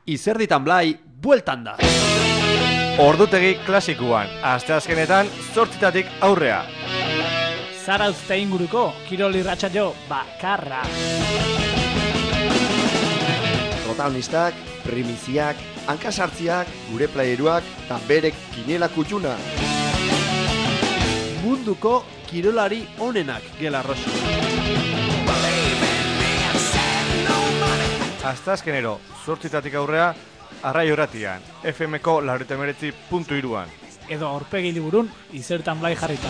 Izerditan Blai, bueltan da. Ordutegi klasikuan, asteazkenetan 8 aurrea. Zarauzte inguruko, kirol irratsaio bakarra. Protagonistak, primiziak, hankasartziak, gure playeruak eta berek kinela kutxuna. Munduko kirolari onenak gela Rosi. Asteazkenero 8 aurrea, Arraio Irratian, FMko 89.3an. Edo aurpegi liburun, Izerditan Blai jarrita.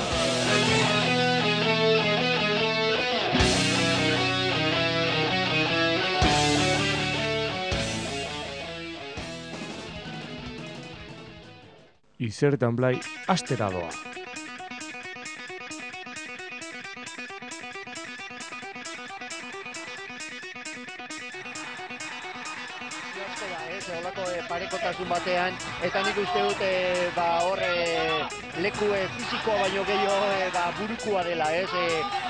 Izerditan Blai astera doa. Olako parekotasun batean, eta nik uste dut leku fizikoa baino gehiago burukua dela,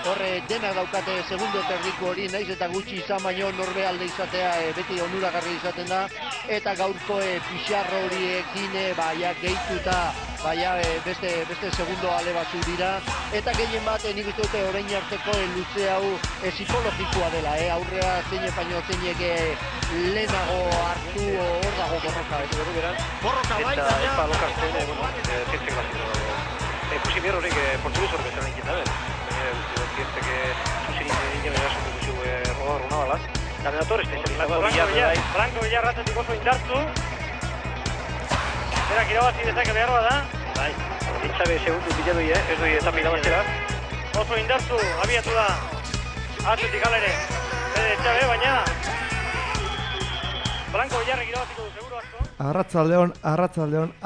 horre denak daukate segundo terdiko hori, naiz eta gutxi izan baino norbe alde izatea beti onuragarri izaten da, eta gaurko pixarro horiekin gehituta beste segundo ale batzu dira, eta gehien bat nik uste dute orain arteko luze hau psikologikoa dela, aurrea zeinek baino zeinek lehenago hartu hor dago borroka. Borroka baita, ja! Eta lokartzen, zientzek bazito. Ikusi behar horiek portugez horrek bezala inkita, zientzek zuzin ingen erasun dugu rodar una balaz. Da menator espezializatu. Franco Villar ratzetik oso indartu. Berak irabazi dezake behar bada. Bai, ditzabe segundu bila doi, ez doi etapa irabaztera. Oso indartu, abiatu da. Atzetik alere. Ditzabe, baina Franco Villarrek irabaziko du, seguru asko.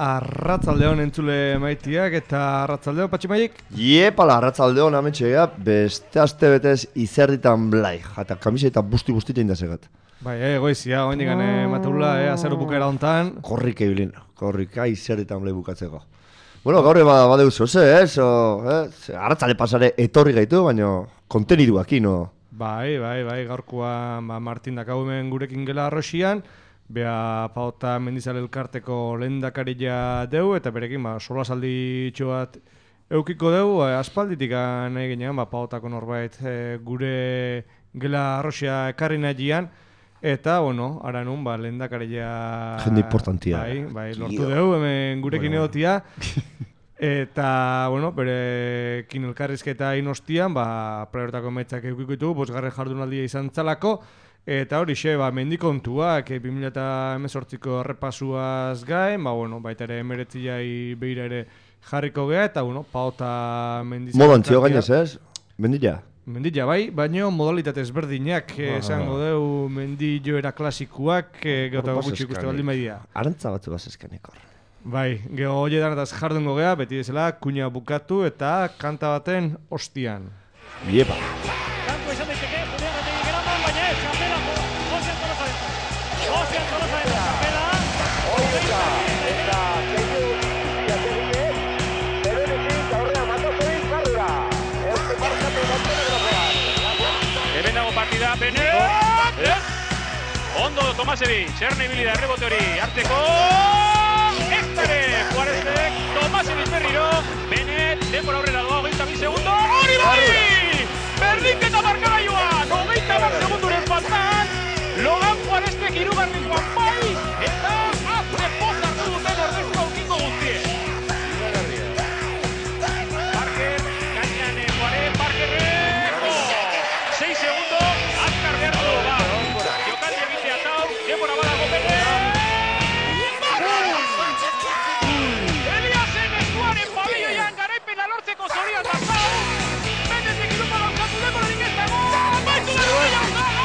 Arratsaldeon entzule maitiak eta arratsaldeon Patximaik. Iepala, arratsaldeon ametxea, beste aste betez Izerditan Blai, eta kamiseta busti indasegat. Bai, goizia, oindik matula, azero bukera hontan. Korrika ibilin, korrika Izerditan Blai bukatzeko. Bueno, gaur badeuzu, arratsale pasare etorri gaitu, baina konteniduak ino. Bai, gaurkoa Martin dakaumen gurekin gela Arrosian, bea Paota Mendizale elkarteko lehendakaria deu, eta berekin solasaldi bat eukiko deu, aspalditik nahi ginean, Paotako norbait gure gela Arrosia ekarri nahian, eta, ara nun, lehendakaria... Jende importantia. Bai, lortu deu, hemen gurekin egotia. Eta, berekin elkarrizketa inostian, praerotako emaitzak eukiko ditugu, 5. jardunaldia izan txalako, eta horixe, mendikontuak 2018ko errepasuaz gain, baita ere emeretziai behira ere jarriko geha, eta, Paota Mendizale... Modo antzio gainez, ez? Mendilla? Mendilla, bai, baina modalitate ezberdinak, esango deu mendi joera klasikuak, geotago gutxi ikuste baldin baidia. Arantza batzu bazezkanek hor. Bai, geho hoietan eta jardungo geha, beti bezala, kuina bukatu eta kanta baten ostian. Iepa! Kanko izan daiteke, Julián Rategi geraman, baina ez, kapela, Josian Tolosaen. Josian Tolosaen, kapela. Oita, eta zeitu ziategine, berenetik aurrea matozein karrera. Euste markatu Montenegrokoan. Hemen dago partida, Benet! Ondo Tomasevi, Txerne ibili da errebote hori, hartzeko... Juarezek, Tomasevic berriro, Benet, denbora aurrera doa, 22 segundo, hori bai! Berdinketa markagailuan, 22 segunduren faltan, Logan Juarezek hirugarrengoan bai, eta azte poz hartu duten ordezko aukiko guztien. Parker, gainean Juarez, Parkerrek, 6 segundo, azkar behar du, jokaldi egitea tau, denbora badago Benet, zorian da, Benetik irupa gauzatu denborarik ez dago, baitu da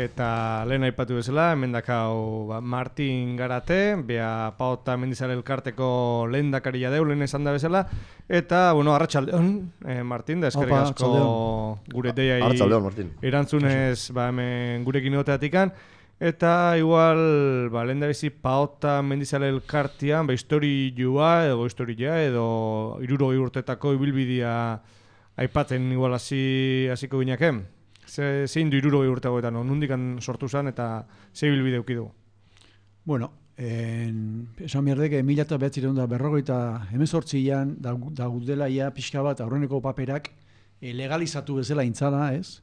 eta lehen aipatu bezala, hemen dakau Martin Garate, bea Pau eta Mendizale elkarteko lehen dakaria deu, lehen esan da bezala, eta, bueno, arratsaldeon, Martin, da eskerrik asko gure deiai erantzunez hemen gurekin egoteatikan, eta igual, lehen da bizi Pau eta Mendizale elkartian, historia edo 60 urtetako ibilbidea aipatzen igual hasiko gineken. Zein du 60 urtegoetan, nondikan sortu zen eta ze ibilbide eduki du? Bueno, esan behardek 1948an da gudela ia pixka bat aurreneko paperak legalizatu bezala intzala, ez?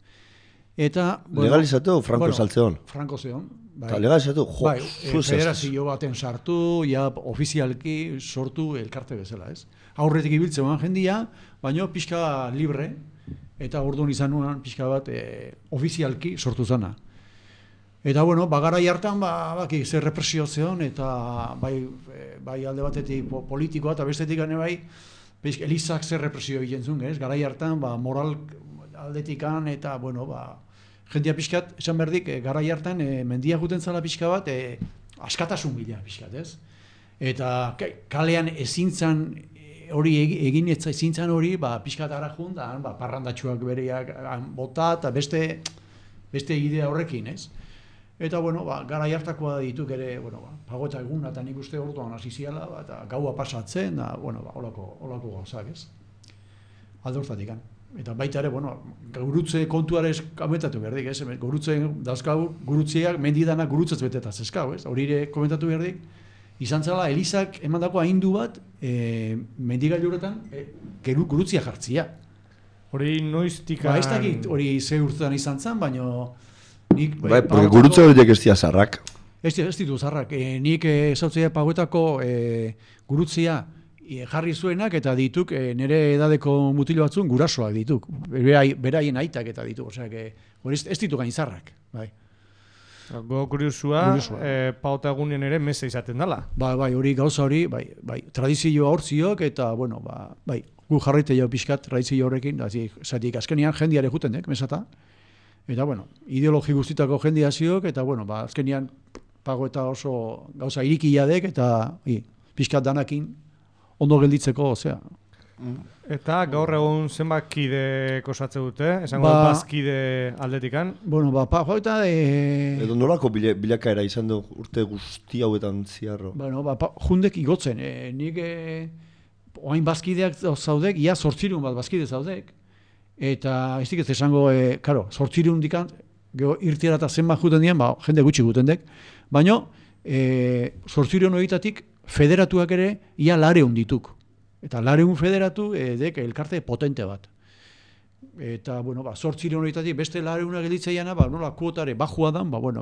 Eta... Legalizatu Franco saltzeon? Franco zeon. Eta legalizatu? Bai, federazio baten sartu, ja ofizialki sortu elkarte bezala, ez? Aurretik ibiltzen jendia, baina pixka libre, eta orduan izan nuen pixka bat ofizialki sortu zana. Eta, bueno, garai hartan, baki, zer represio zeon, eta bai alde batetik politikoa, eta bestetik gane bai, elizak zer represio egiten zuen, ez? Garai hartan, moral aldetikan, eta, bueno, jendia pixkat, esan berdik, garai hartan, mendia juten zala pixka bat, askatasun bila pixkat, ez? Eta kalean ezintzan, hori egin ezintzan hori, pixkat arajun, da, parrandatxuak bereak bota, eta beste idea horrekin, ez? Eta, bueno, gara hartakoa dituk ere, bueno, pagota egun, eta nik uste orduan hasi ziala, eta gaua pasatzen, da, bueno, holako gauzak, ez? Aldortatik, Eta baita ere, bueno, gurutze kontuare komentatu berdik, ez? Gurutze dazkau, gurutzeak, mendidanak gurutzez betetaz eskau, ez? Hori ere komentatu berdik, izan zela, Elizak emandako ahindu bat, mendigailuretan, gurutzia jartzia. Hori noiztikan... Ez dakit hori ze urtetan izan zen, baina... Bai, porque gurutze horiek ez dira zarrak. Ez ditu zarrak. Nik ezautzea pagoetako gurutzia jarri zuenak eta dituk nire edadeko mutilo batzun gurasoak dituk. Beraien aitak eta dituk. Osea, hori ez ditu gain zarrak. Bai. Go kuriosua, pauta egunien ere meze izaten dela. Bai, hori gauza hori, bai, tradizioa hortziok eta, bueno, bai, gu jarraite jau pixkat tradizio horrekin, zatik azkenian jendiare juten dek, mesata. Eta, bueno, ideologi guztitako jendia ziok, eta, bueno, azkenian pago eta oso gauza irikia dek, eta pixkat danakin ondo gelditzeko, osea. Eta gaur egun zenbat kide osatze dute? Esango bazkide aldetikan? Bueno, pago eta... Edo nolako bilakaera izan du urte guzti hauetan ziarro? Bueno, jundek igotzen. Nik oain bazkideak zaudek, ia 800 bat bazkide zaudek. Eta ez dikez esango, karo, 800 dikan, irtiara eta zenbat juten dian, jende gutxi guten dek. Baina, 800 horietatik federatuak ere, ia 200 dituk. Eta 200 federatu dek elkarte potente bat. Eta, bueno, 800 horietatik beste 200 gelditzeiana, nola kuotare bajua dan, bueno,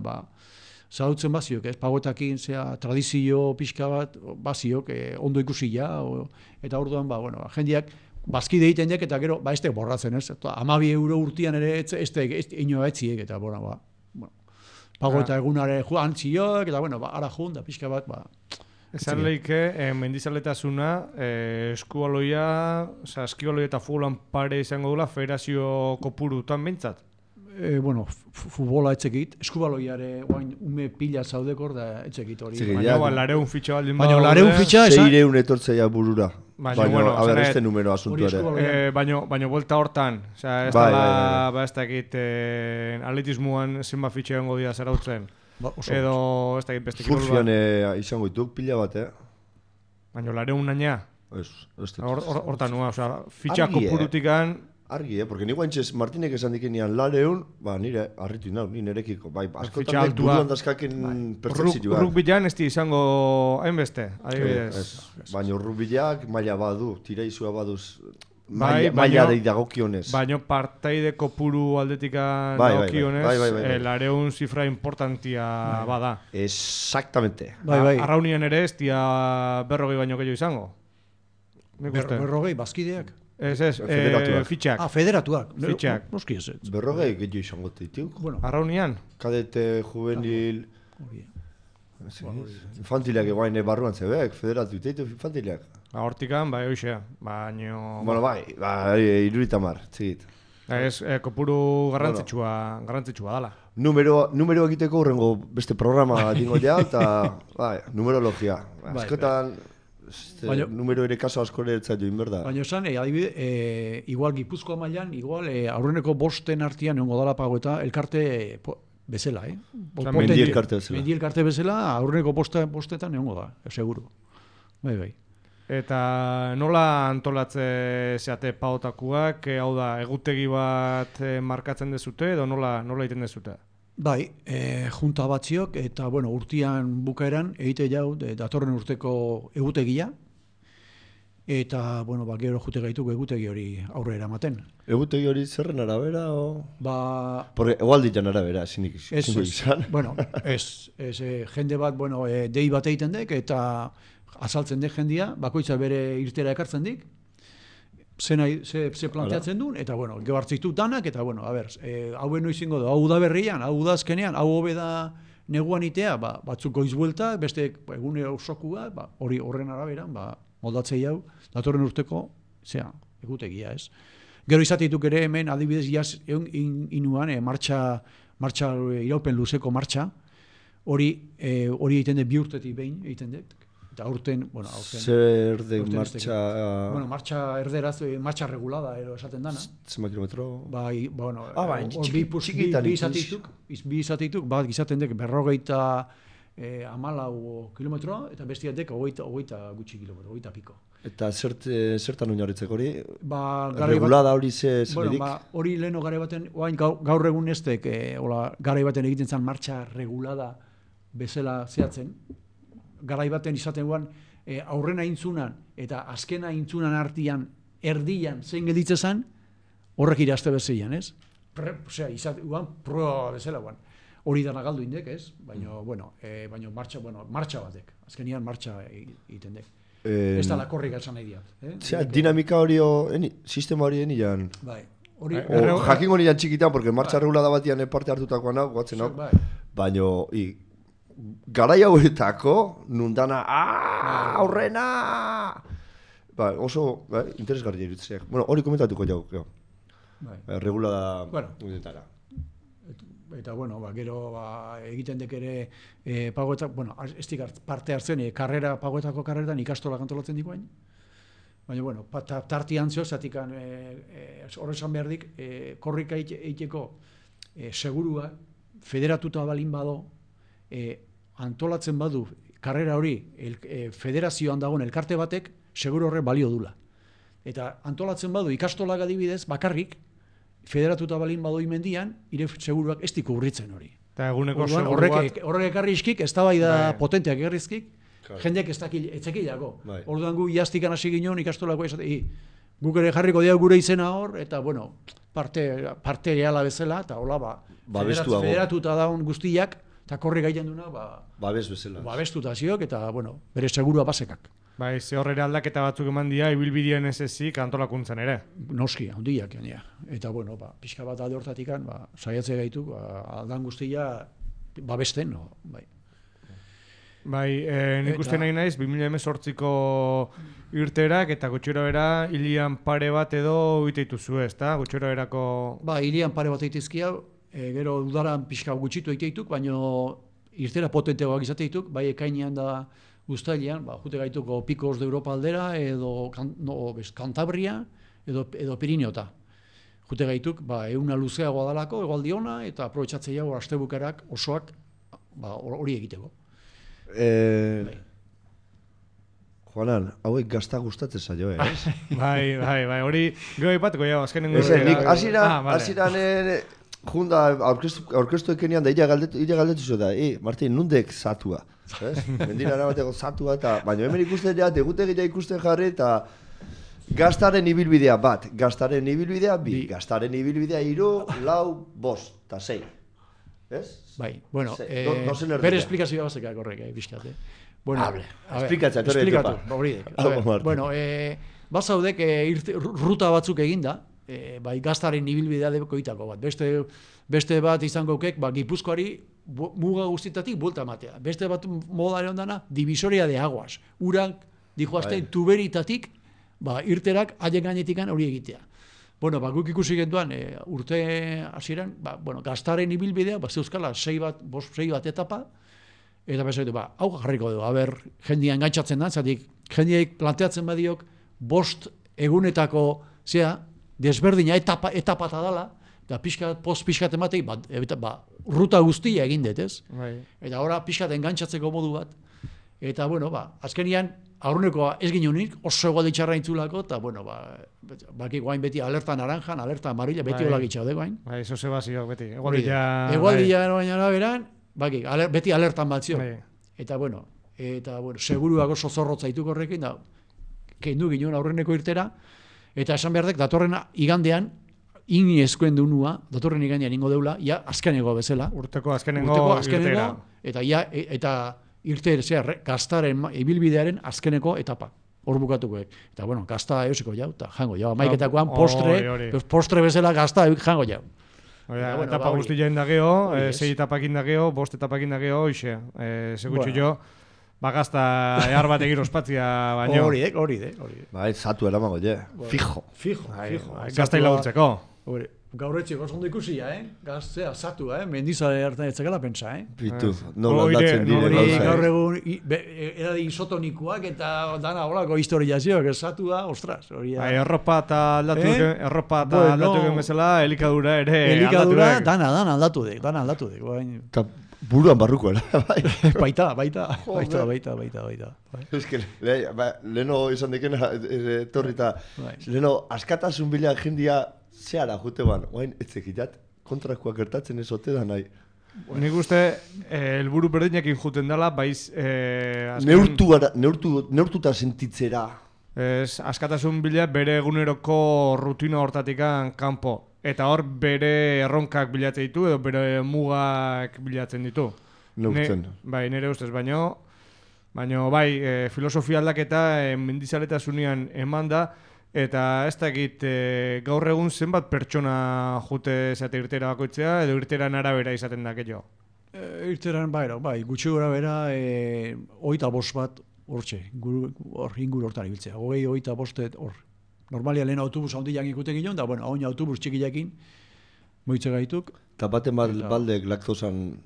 zautzen baziok, ez, pagoetakin, tradizio pixka bat, baziok, ondo ikusila, eta orduan, bueno, jendiak, bazkide egiten dek, eta gero, ez tek borratzen, ez? 12 euro urtian ere, ez tek inoa etziek, eta, bueno, pago eta egunare joan txiok, eta, bueno, ara joan, da pixka bat, Esan lehike, mendizaletasuna, eskubaloia, eskibaloia eta futbolan pare izango dula federazio kopurutan behintzat? Bueno, futbola etzekit, eskubaloiare ume pila zaudekor da etzekit hori. Baina, 200 fitxa baldin baina 200 fitxa... 600 etortzeia burura. Baina, bueno, a ver, este numero asuntu ere. Baina, vuelta hortan, ez dala, ez dakit, atletismoan zenba fitxa egongo dira zarautzen. Edo, ez dakit beste kirol bat. Surfian izango dituk, pila bat, Baina, 200 naina? Ez, hortan nua, fitxa kopurutikan... Argi, porque ni guantxez Martinek esan dikenean 200, nire harritu inau, ni nerekiko, askotan nek buruan dazkaken pertsepzioa. Rugbilan ez di izango hainbeste, adibidez. Baina rugbilak maila badu, tiraizua baduz, maila dagokionez. Baina partaide kopuru aldetikan dagokionez, 200 zifra importantia bada. Exactamente. Arraunien ere ez dia 40 baino gehiago izango. 40 bazkideak. Ez, fitxak. Federatuak. Fitxak. Noski ez. 40 gehiago izango dituk. Arraunian? Kadete, juvenil... Infantileak eguain barruan zebek, federatu iteitu infantileak. Hortikan, hoxea. Baina... Bueno, iruritamar, txegit. Ez, kopuru garrantzitsua dala. Numero egiteko urrengo beste programa dingo ja, eta numerologia. Askotan, numero ere kaso asko ere etzat join, berda? Baina esan, adibide, igual Gipuzkoa mailan, igual aurreneko bosten artean egongo dala pagoeta elkarte bezala, Mendi elkarte bezala. Mendi elkarte bezala, aurreneko bostetan egongo da, seguru. Bai. Eta nola antolatze zeate paotakuak, hau da, egutegi bat markatzen dezute, edo nola egiten dezute? Bai, junta batziok, eta bueno, urtean bukaeran, egite jau, datorren urteko egutegia, eta, bueno, gero jute gaituk egutegi hori aurre eramaten. Egutegi hori zerren arabera, o? Porque egual ditan arabera, zinik izan. Bueno, jende bat, bueno, dei bat egiten dek, eta azaltzen dek jendia, bakoitza bere irtera ekartzen dik, ze planteatzen duen, eta, bueno, gero hartzitu danak, eta, bueno, hauen noizingo du, hau da berrian, hau da azkenean, hau hobe da neguan itea, batzuk goiz buelta, beste egune osokua, hori horren araberan, moldatzei hau, datorren urteko, egutegia, ez? Gero izateetuk ere hemen, adibidez, jaz, inuan, martxa iraupen luzeko martxa, hori egiten dut 2 urtetik behin egiten dut. Eta aurten... Zer de martxa... Bueno, martxa erderaz, martxa regulada, esaten dana. Zema kilometro... Bueno, txikitan bi izateituk, bat izaten dut 54 kilometroa, eta bestiatek 20 gutxi kilometro, 20 piko. Eta zertan oinarritzeko hori? Regulada hori zedik? Bueno, hori leheno gare baten, gaur egun estek, gare baten egiten zen martxa regulada bezala zehatzen, garai baten izaten guan, aurrena intzunan eta azkena intzunan artian erdian zein gelditzen zen, horrek irazte bezeian, ez? Izaten guan, proa bezala guan. Hori dana galdu indek, ez? Baina, bueno, martxa batek. Azkenian martxa egiten dek. Ez da lakorrik esan nahi diat. Dinamika hori, sistema hori enian. Bai. Jakingo nian txikitan, porque martxa regulada batian parte hartutakoan hau, guatzen hau. Baina, garai hauetako, nundana, aurrena! Oso, interesgarria irutzeak. Bueno, hori komentatuko jau. Regulada... Eta, bueno, gero egiten dek ere pagoetak, bueno, ez dikart parte hartzen, pagoetako karreretan ikastola kantolatzen dikoain. Baina, bueno, tartian zeo, zatikan horrezan behar dik, korrika eiteko segurua, federatuta balin bado, antolatzen badu karrera hori federazioan dagoen elkarte batek, seguru horre balio dula. Eta antolatzen badu ikastolak adibidez, bakarrik, federatuta balin badoi mendian, ire seguruak ez diku urritzen hori. Eta eguneko seguru bat... Horrek ekarrizkik, ez da bai da potenteak ekarrizkik, jendeak ez etzekilako. Orduan gu jaztikan hasi ginen ikastolako esate, guk ere jarriko diau gure izena hor, eta bueno, parte reala bezala, eta hola, federatuta daun guztiak, eta korri gaiten duna, babestuta ziok, eta bueno, bere segurua basekak. Bai, ze horrera aldaketa batzuk eman dira, ibilbideen ez ezik antolakuntzen ere. Noski, handiak, eta bueno, pixka bat alde hortatik, saiatze gaitu, aldan guztia babesten, bai. Bai, nik uste nahi naiz, 2018ko irterak eta gutxura bera hilian pare bat edo iteitu zu ez, eta gutxura berako... Ba, hilian pare bat eiteizkia, gero udaran pixka gutxitu eiteituk, baina irtera potenteagoak izateituk, bai ekainean da guztailean, jute gaituko Picos de Europa aldera, edo Cantabria, edo Pirineota. Jute gaituk, euna luzeagoa dalako, egualdi ona, eta aprobetxatzei hau astebukarak osoak hori egiteko. Juanan, hauek gazta gustatzen zaio, Bai, hori goi batko jau, azkenengo... Nik hasieran junda aurkeztu ekenian da illa galdetu zu da, Martin, nundek zatua? Mendira erabateko zatua, baina hemen ikusten dira, egutegia ikusten jarri, eta gaztaren ibilbidea bat, gaztaren ibilbidea bi, gaztaren ibilbidea 3, 4, 5 eta 6. Ez? Bai, bueno, bere esplikazioa bazekak horrek, bizkate. Esplikatu, horiek. Bueno, bazaudek ruta batzuk eginda, bai gaztaren ibilbidea dekoitako bat. Beste bat izango kek, Gipuzkoari muga guztitatik buelta matea. Beste bat modare ondana, divisoria de aguas. Urak, dijoazten, tuberitatik, irterak haien gainetikan hori egitea. Bueno, guk ikusi genduan, urte hasieran, Gaztaren ibilbidea, zeuzkala 6 bat etapa, eta bezaitu, hau jarriko dugu, jendia engaitzatzen da, zatik, jendiaik planteatzen badiok, 5 egunetako, desberdina etapata dala, eta post pixkat ematei, ruta guztia egin dut, ez? Eta ora pixkat engantzatzeko modu bat, eta, azkenian, aurrenekoa ez ginenik, oso egualdi txarra intzulako, eta, baki guain beti alerta naranjan, alerta amarilla, beti hola gitxaude guain. Eso zebazioak beti, egualdia baina beran, beti alertan bat zio. Eta, seguruak oso zorrotza dituk horrekin, da, kendu ginen aurreneko irtera, eta esan behar dek, datorren igandean, ini eskuen dunua, datorren igandean ingo deula, azkeneko bezala. Urteko azkeneko irtera. Eta irte, Gaztaren ibilbidearen azkeneko etapa. Hor bukatuko. Eta, Gazta eusiko jau, eta jango jau. Amaiketakoan postre bezala Gazta jango jau. Etapa guztien da geho, 6 etapakin da geho, 5 etapakin da geho, hoxe. Segutxu jo, Gazta ehar bat egin ospatzia baino. Hori. Bai, zatu eramago, fijo. Gazta hilagurtzeko. Gaur etxeko oso ondo ikusia, Gaztea, zatu, mendizale hartan etzakela pentsa, Bitu, nola aldatzen dire gauza. Gaur egun, edadi isotonikoak eta dana holako historiazioak, zatua, ostras. Erropa eta aldatu egin bezala, elikadura ere aldatu egin. Elikadura, dana aldatu dek. Eta buruan barruko, Baita. Ez que, leheno izan dekena, torri eta, leheno askatasun bila jendia zehara jute ban, oain etzekitat, kontrakoak gertatzen ez ote da nahi. Nik uste, helburu berdinekin juten dela, baiz... Neurtuta sentitzera. Askatasun bila bere eguneroko rutina hortatikan kanpo. Eta hor bere erronkak bilatzen ditu, edo bere mugak bilatzen ditu. Neurtzen. Nire ustez, baino, filosofia aldaketa mendizaletasunean eman da, eta ez dakit gaur egun zenbat pertsona jute zate irtera bakoitzea, edo irteran arabera izaten da, keio? Irteran, gutxi gora bera, 25 bat, hortxe, inguru hortan ibiltzea. 25 hor. Normalia lehen autobus handiak ikuten ginen, da, hain autobus txikiakin, moitze gaituk. Eta baten baldek laktosan,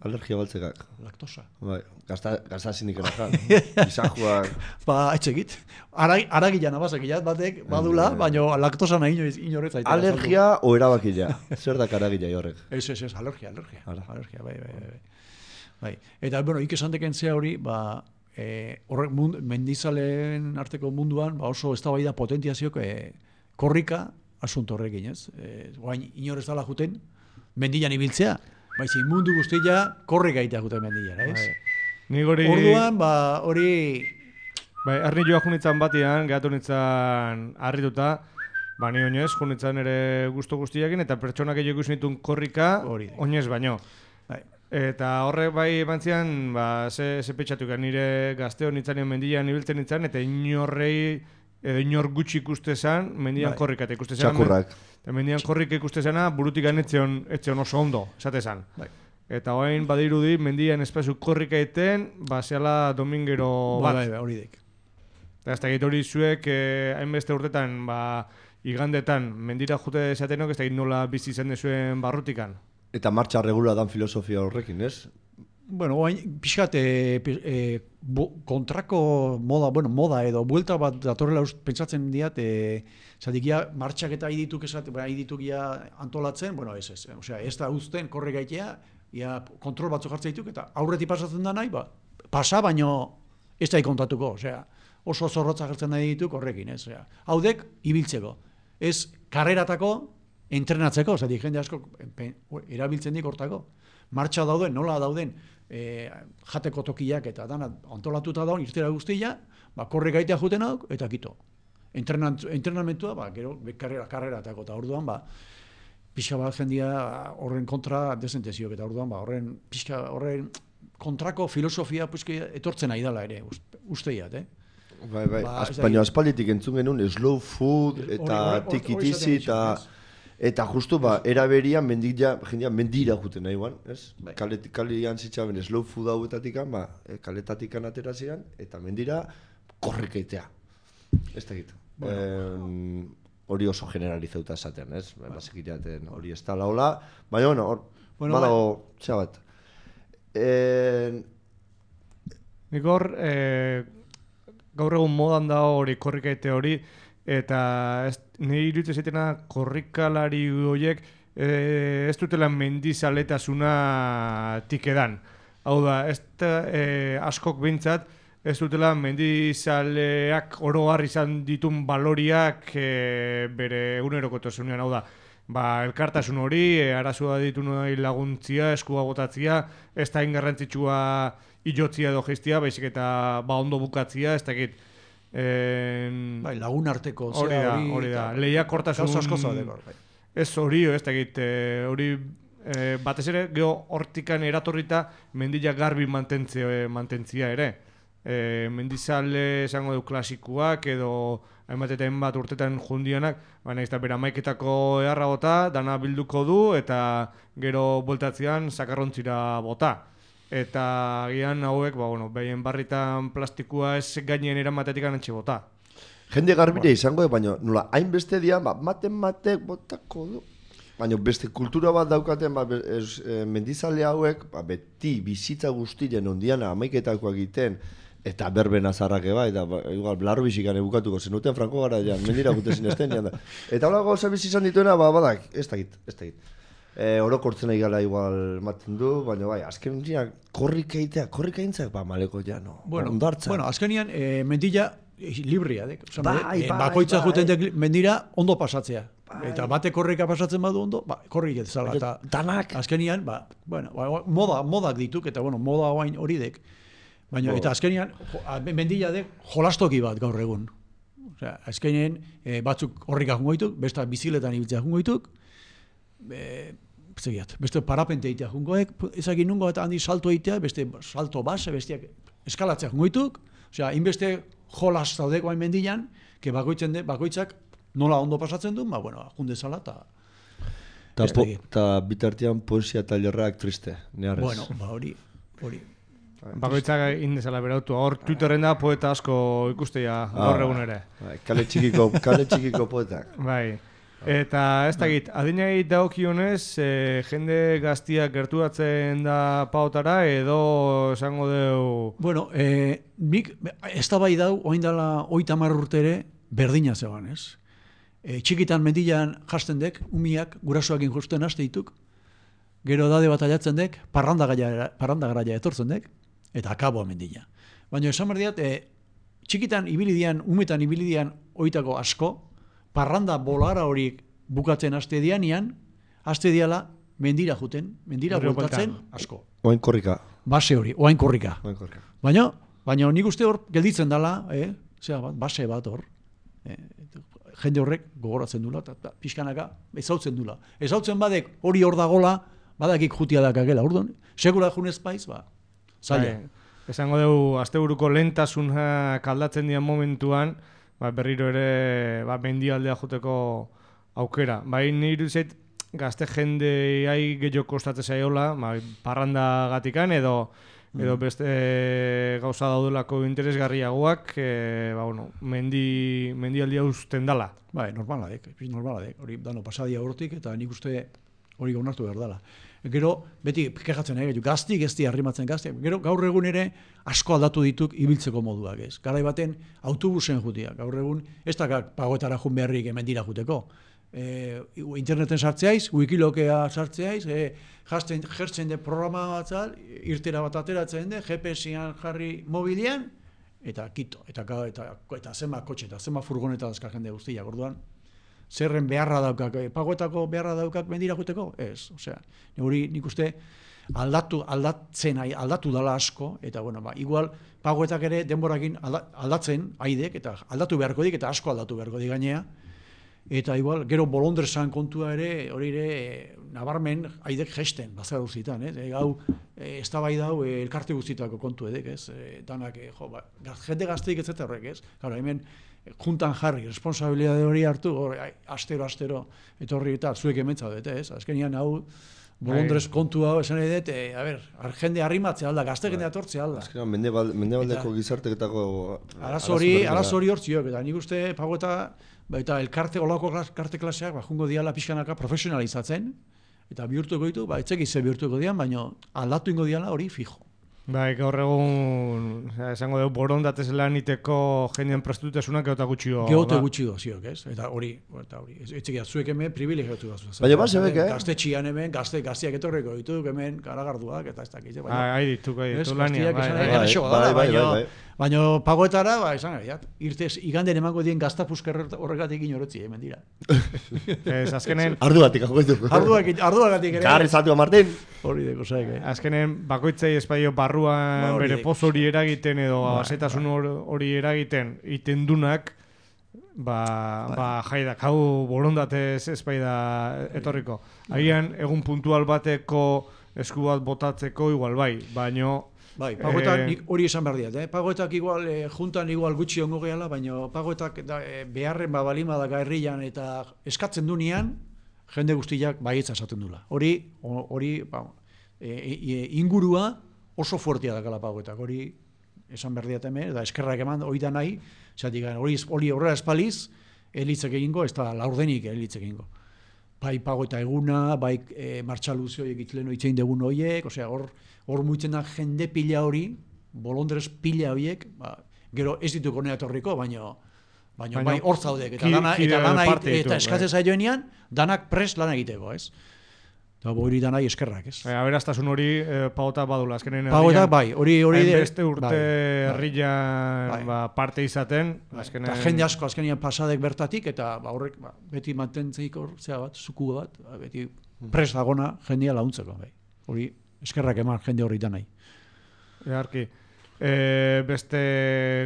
alergia baltzekak. Laktosa? Bai, gazta zindik erazan. Izajuak... Etxekit. Aragilan abazakilat batek, badula, baina laktosa nahi inorez zaitera. Alergia o erabakila? Zer dak aragila horrek? Ez, alergia. Alergia, bai. Eta, ikesan deken zea hori, horrek mendizaleen arteko munduan oso eztabaida potentiaziok korrika asunto horrekin, ez? Guain inorez dala juten mendilan ibiltzea, baizik mundu guztia korrika itea juten mendilan, ez? Orduan, hori... Arni joa junitzen batian, gehatu nintzen harrituta, ni oinez, junitzen ere gustu guztiakin, eta pertsonak egin ikusi nituen korrika, oinez baino. Eta horrek bai bantzian, ze petxatuka nire gazteo nintzen mendian ibiltzen nintzen, eta inor gutxi ikuste zen, mendian korrika eta ikuste zen. Txakurrak. Eta mendian korrika ikuste zena, burutik etzion oso ondo, esate zen. Eta hoain badirudi, mendian espazu korrika eten, zehala domingero bat. Hori dek. Eta ez dakit hori zuek, hainbeste urtetan, igandetan, mendira jute zatenok, ez dakit nola bizi zen dezuen barrutikan. Eta martxa regula dan filosofia horrekin, ez? Pixkat kontrako moda edo buelta bat datorrela pentsatzen diat, zatik martxak eta idituk antolatzen, ez. Osea, ez da uzten korre gaitea, kontrol batzu jartzen dituk, eta aurreti pasatzen da nahi, pasa, baino ez da ikontatuko, osea, oso zorrotza jartzen nahi dituk horrekin, ez. Haudek, ibiltzeko. Ez karreratako, entrenatzeko, zatik jende asko erabiltzen dik hortako. Martxa dauden, nola dauden, jateko tokiak eta dana antolatuta daun, irtera guztia, korre gaitea juten hau, eta kito. Entrenamentua, gero, karreratako, eta orduan, pixka bat jendia horren kontra desenteziok, eta orduan, horren kontrako filosofia etortzen nahi dela ere, usteiat, Baina aspalditik entzun genuen slow food eta tikitizi eta justu eraberian jendia mendira juten nahi guan, ez? Kalean zitzaben slow food hauetatikan, kaletatikan aterazian, eta mendira korrekeitea. Ez da gitu. hori oso generalizauta esaten, ez? Bazekitaten hori ez da laula, baina, bueno, badago, txea bat. Nik hor, gaur egun modan da hori korrikaite hori, eta nire iruditzen zaitena korrikalari horiek ez dutela mendizaletasuna tikedan. Hau da, askok behintzat, ez dutela mendizaleak oro har izan ditun baloriak bere egunerokotasunean, hau da. Elkartasun hori, arazoa ditu nahi laguntzia, eskua botatzia, ez da ingarrantzitsua ilotzia edo geistia, baizik eta ondo bukatzia, ez dakit. Lagun arteko, hori da, lehiakortasun... Gauza asko zaudeko. Ez hori, ez dakit, hori batez ere, geho hortikan eratorrita mendila garbi mantentzia ere. Mendizale esango du klasikoak edo hainbat eta hainbat urtetan jundianak, baina ez da bera maiketako eharra bota, dana bilduko du eta gero bueltatzean sakarrontzira bota. Eta gian hauek, behien barritan plastikua ez gainen eramatetik anantxe bota. Jende garbire izango, baina nola, hainbeste dian, matek botako du. Baina beste kultura bat daukaten, mendizale hauek, beti bizitza guztien ondiana amaiketakoak egiten, eta berben azarrake bai, eta igual blarro bizikan ebukatuko zenuten Franko Garaian, mendira gute zinezten da. Eta hola gauza bizi izan dituena, badak, ez dakit. Orokortzen nahi gala igual maten du, baina bai, azken korrikaintzak, maleko ja, no, ondartza. Bueno, azkenian, mendila libria, bakoitza juten dek mendira ondo pasatzea. Eta bate korrika pasatzen badu ondo, korrik ez zala. Danak. Azkenian, modak dituk, eta moda hori dek. Baina, eta azkenean, mendila dek jolastoki bat gaur egun. Osea, azkenean, batzuk horrikak jungoituk, beste biziletan ibiltzea jungoituk, beste parapente egitea jungoek, ezagin nungo eta handi salto egitea, beste salto base, besteak eskalatzea jungoituk, osea, inbeste jolas zaudeko hain mendilan, bakoitzak nola ondo pasatzen du, junde zala eta bitartean poesia tailerrak triste, neharrez. Bueno, hori. Bakoitzak indezala berautu, hor Twitterren da poeta asko ikustea gaur egun ere. Kale txikiko poetak. Bai. Eta ez dakit, adinai dagokionez, jende gaztiak gerturatzen da pautara edo esango deu... Bueno, nik ez da bai dau, oain dela 30 urtere berdina zegoen, ez? Txikitan mendilan jasten dek, umiak gurasoakin justen haste dituk, gero dade bataiatzen dek, parranda garaia etortzen dek, eta akaboa mendila. Baina esan berdiat, txikitan ibilidian, umetan ibilidian oitako asko, parranda bolara horiek bukatzen haste dianian, haste diala mendira juten, mendira bultatzen asko. Oain korrika. Base hori, oain korrika. Baina nik uste hor gelditzen dela, base bat hor, jende horrek gogoratzen dula, eta pixkanaka ezautzen dula. Ezautzen badek hori hor dagola, badakik jutia dakagela, orduan, segura junez paiz, zaila. Esango dugu, asteburuko lehentasunak aldatzen dian momentuan, berriro ere mendialdea joteko aukera. Nire zait, gazte jendeai gehiago kostatzen zaiola, parranda gatikan edo beste gauza daudelako interesgarriagoak, mendialdia usten dala. Normala dek, hori dano pasadia hortik, eta nik uste hori gaunartu behar dela. Gero, beti kejatzen gaztik ez di arrimatzen gaztiak. Gero, gaur egun ere asko aldatu dituk ibiltzeko moduak ez. Garai baten autobusen jutia. Gaur egun ez da pagoetara jun beharrik mendira juteko. Interneten sartzeaiz, wikilokea sartzeaiz, jertzen de programa batzal, irtera bat ateratzen de, GPS-ean jarri mobilian, eta kito, eta zema kotxe, eta zema furgoneta dazka jende guztiak, orduan. Zerren beharra daukak, pagoetako beharra daukak mendira juteko? Ez, osea, hori nik uste aldatu dala asko, eta igual pagoetak ere denborakin aldatzen haidek, eta aldatu beharko dik, eta asko aldatu beharko dik gainea, eta igual, gero bolondresan kontua ere, hori ere, nabarmen haidek gesten, bazka guztietan, hau, ez da bai dau, elkarte guztietako kontu edek, ez, danak, jende gazteik ez eta horrek, ez, gara, hemen, juntan jarri, responsabilidade hori hartu, astero, etorri eta zuek ementza dut, ez? Azkenian hau, bolondrez kontu hau esan edet, jende arrimatzea alda, gazte jende atortzea alda. Azkenean, mendebaldeko gizarteketako... Arazo hori hortziok, eta nik uste pagoeta eta olako elkarte klaseak jungo diala pixkanaka profesionalizatzen, eta bihurtuko ditu, etxekiz ze bihurtuko dian, baina aldatu ingo diala hori fijo. Bai, gaur egun, esango dugu, borondatez lan iteko jendien prestutasunak geota gutxio. Geote gutxio ziok, ez? Eta hori, etxekia, zuek hemen privilegiatu gazu. Baina bat zebek, Gaztetxian hemen, gazteak etorreko dituk, hemen karagarduak, eta ez dakit. Hai dituk, lania. Baina pagoetara, esan gaiat, irtez, iganden emango dien gaztapuzker horregatik inorotzi, hemen dira. Ez, azkenen... Arduatik, Arduagatik ere. Garri zatua, Martin. Hori deko zaik, Azkenen, bakoitzai espaio barruan bere poz hori eragiten edo azetasun hori eragiten itendunak, jaidak, hau borondatez espaida etorriko. Agian, egun puntual bateko esku bat botatzeko igual bai, baino... Bai, pagoetak hori esan behar diat, pagoetak igual, juntan igual gutxi ongo gehala, baina pagoetak beharren balima da herrian eta eskatzen dunean, jende guztiak baietza esaten dula. Hori, ingurua oso fuertia dakala pagoetak, hori esan behar diat hemen, eta eskerrak eman, hori da nahi, hori horrela espaliz, elitzek egingo, ez da laurdenik elitzek egingo. Bai pagoeta eguna, bai martxaluzioiek itleno itzein degun horiek, osea, hor muitzen da jende pila hori, bolondrez pila horiek, gero ez dituko nea etorriko, baina bai hor zaudek, eta eskatzen zaioenean, danak pres lan egiteko, ez? Eta hori danai eskerrak, ez? Aberaztasun hori pagota badula, azkenen pagota bai, hori beste urte herrian parte izaten, eta jende asko azkenean pasadek bertatik, eta horrek beti mantentzeik zuku bat, beti pres dagona jendea launtzeko, bai. Hori eskerrak eman jende hori danai. Eharki. Beste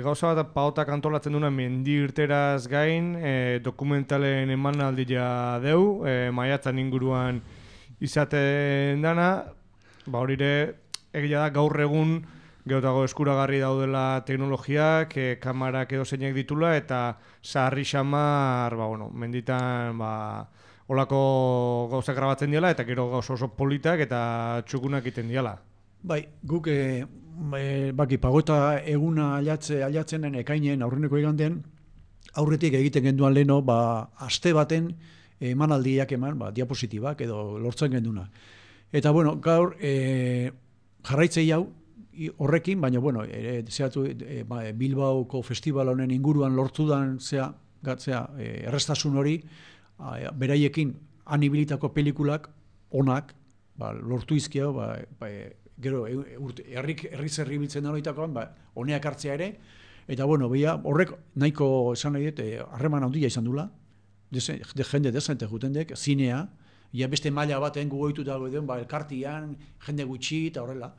gauza bat pagotak antolatzen duna mendi irteraz gain, dokumentalen emanaldia deu, maiatzan inguruan izaten dana, horire egia da gaur egun geotago eskuragarri daudela teknologiak, kamarak edo zeinek ditula, eta sarri xamar, menditan, olako gauzak grabatzen diala, eta gero gauza oso politak eta txukunak iten diala. Bai, guk baki pagoeta eguna aldatzenen ekainen aurreneko igandean, aurretik egiten genduan leheno, aste baten emanaldiak eman, diapositibak edo lortzen genduna. Eta, gaur jarraitzei hau horrekin, baina, zehatu Bilbaoko festival honen inguruan lortudan errestasun hori, beraiekin anibilitako pelikulak onak, lortu izkio, gero herri biltzen horietakoan, honeak hartzea ere, eta horrek nahiko esan nahi dut, harreman handia izan dula, jende dezente jutendek, zinea, beste maila baten gugoitu dago edo, elkartian, jende gutxi eta horrela.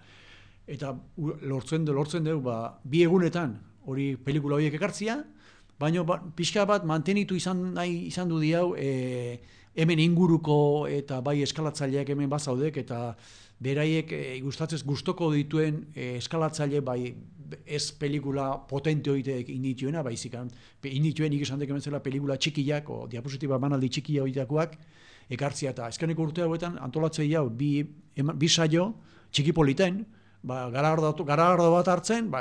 Eta lortzen dugu, bi egunetan hori pelikula horiek ekartzia, baina pixka bat mantenitu izan du diau hemen inguruko eta bai eskalatzaileak hemen bazaudek eta beraiek gustoko dituen eskalatzaile bai ez pelikula potente horietek indituena, baizik indituen esan dek ementzela pelikula txikiak o diapositiba manaldi txikia horitakoak ekartzia eta eskeneko urte hauetan antolatzei hau bi saio txiki politen, garagardo bat hartzen,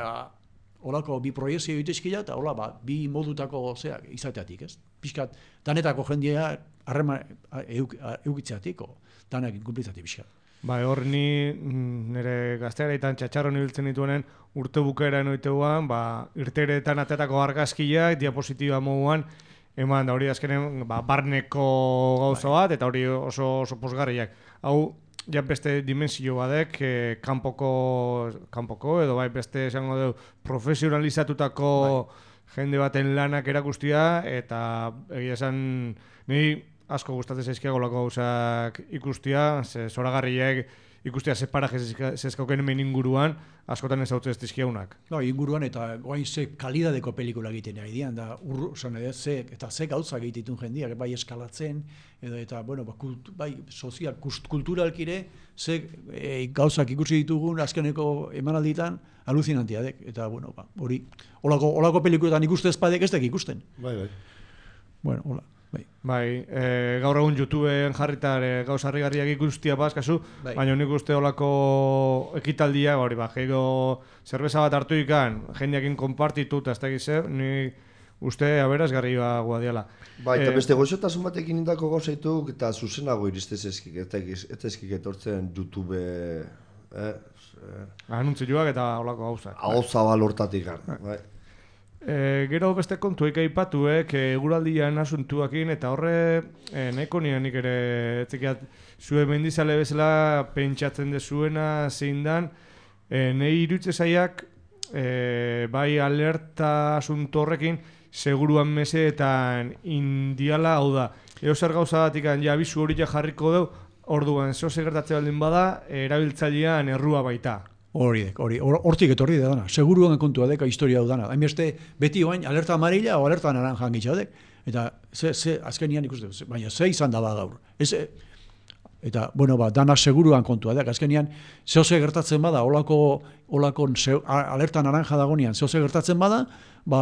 holako bi proiezio egitezkila eta hola bi modutako izateatik, ez? Pixkat, danetako jendea harrema eukitzeatik, danak inkumplitzatik pixkat. Hor nire gazteareitan txatxarron ibiltzen dituenen urte bukaeran oiteguan, irteretan atetako argazkiak, diapositiba moduan, eman da hori azkenen barneko gauza bat, eta hori oso posgarriak. Hau, ja beste dimensio badek, kanpoko edo beste esango dugu profesionalizatutako jende baten lanak erakustia, eta egia esan niri asko gustatzen zaizkiago golako gauzak ikustia, zoragarriak ikustia ze paraje zezkauken hemen inguruan, askotan ez hau ez dizkiaunak. Inguruan eta guain ze kalidadeko pelikula egiten ari dian, eta ze gauzak egititun jendiak, bai eskalatzen, eta bai sozial, kulturalkire, ze gauzak ikusi ditugun azkeneko emanalditan, aluzinantiadek, eta hori, holako pelikuletan ikuste ezpadek ez dek ikusten. Bai. Hola. Gaur egun YouTubeen jarritar gauza harrigarriak ikustia bazkazu, baina nik uste olako ekitaldia, zerbeza bat hartu ikan, jendeakin konpartitu, eta ez da gizer, ni uste aberazgarria guadiala. Bai, eta beste goxotasun batekin indako gauzaitu eta zuzenago iristez ezkik etortzen YouTube Anuntzioak eta holako gauzak. Ahozabal hortatik bai. Gero beste kontuek aipatuek eguraldian asuntuakin eta horre nahiko nik ere etzekiat zuen mendizale bezala pentsatzen dezuena zein dan nahi irutze zaiak bai alerta asunto horrekin seguruan meseetan indiala hau da. Zer gauza batik abisu hori jarriko deu, orduan zeo gertatze baldin bada erabiltzailean errua baita. Hortik etorri da dana. Seguruan kontua deka historia hau dana. Hainbeste beti oain alerta amarilla o alerta naranja gitxadek. Eta azkenian ikuste, baina ze izan da gaur. Eta, dana seguruan kontua dek. Azkenian, zehose gertatzen bada, olako alerta naranja dagonean, zehose gertatzen bada,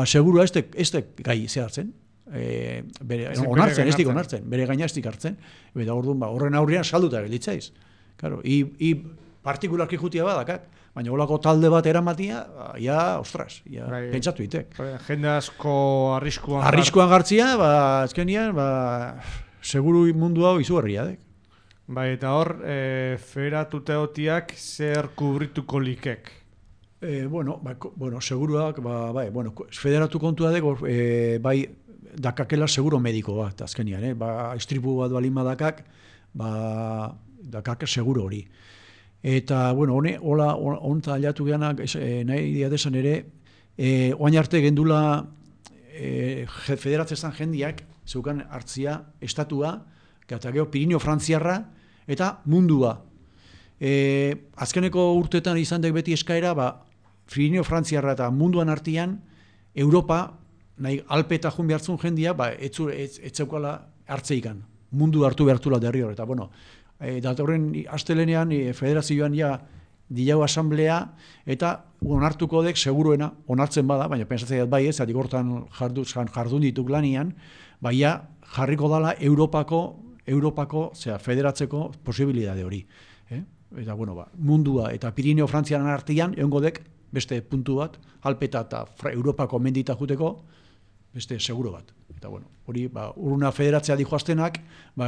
segurua ez gai zehartzen. Onartzen, ez dik onartzen. Bere gaina ez dik hartzen. Eta horren aurrean salduta gelditzaiz. Claro, partikularki jutia badakak. Baina holako talde bat eramatia, ostras, pentsatu itek. Jende asko arriskuan gartzia, azkenian, seguru mundu hau izugarria dek. Bai, eta hor, feratuteotiak zer kubrituko likek? Seguruak, federatu kontua dek, dakakela seguro mediko bat, azkenian, istripu bat balin badakak, dakak seguro hori. Eta, honta aliatu geanak, nahi diatesan ere, oain arte gendula federatzezan jendiak, zeukan hartzia, estatua, eta gero Pirinio Frantziarra, eta mundua. Azkeneko urtetan izan dek beti eskaera, Pirinio Frantziarra eta munduan artian, Europa, nahi Alpe eta jun behartzun jendia, ez zeukala hartzeikan. Mundu hartu behartula derri hor, eta datorren astelenean federazioan dilau asamblea eta onartuko dek seguruena onartzen bada, baina pentsatzea bai ez, atik hortan jardun dituk lanian, jarriko dala Europako federatzeko posibilidade hori. Eta mundua eta Pirineo Frantziaren artean egongo dek beste puntu bat, Alpeta eta Europako mendita juteko beste seguro bat. Eta hori, urruna federatzea dijoaztenak,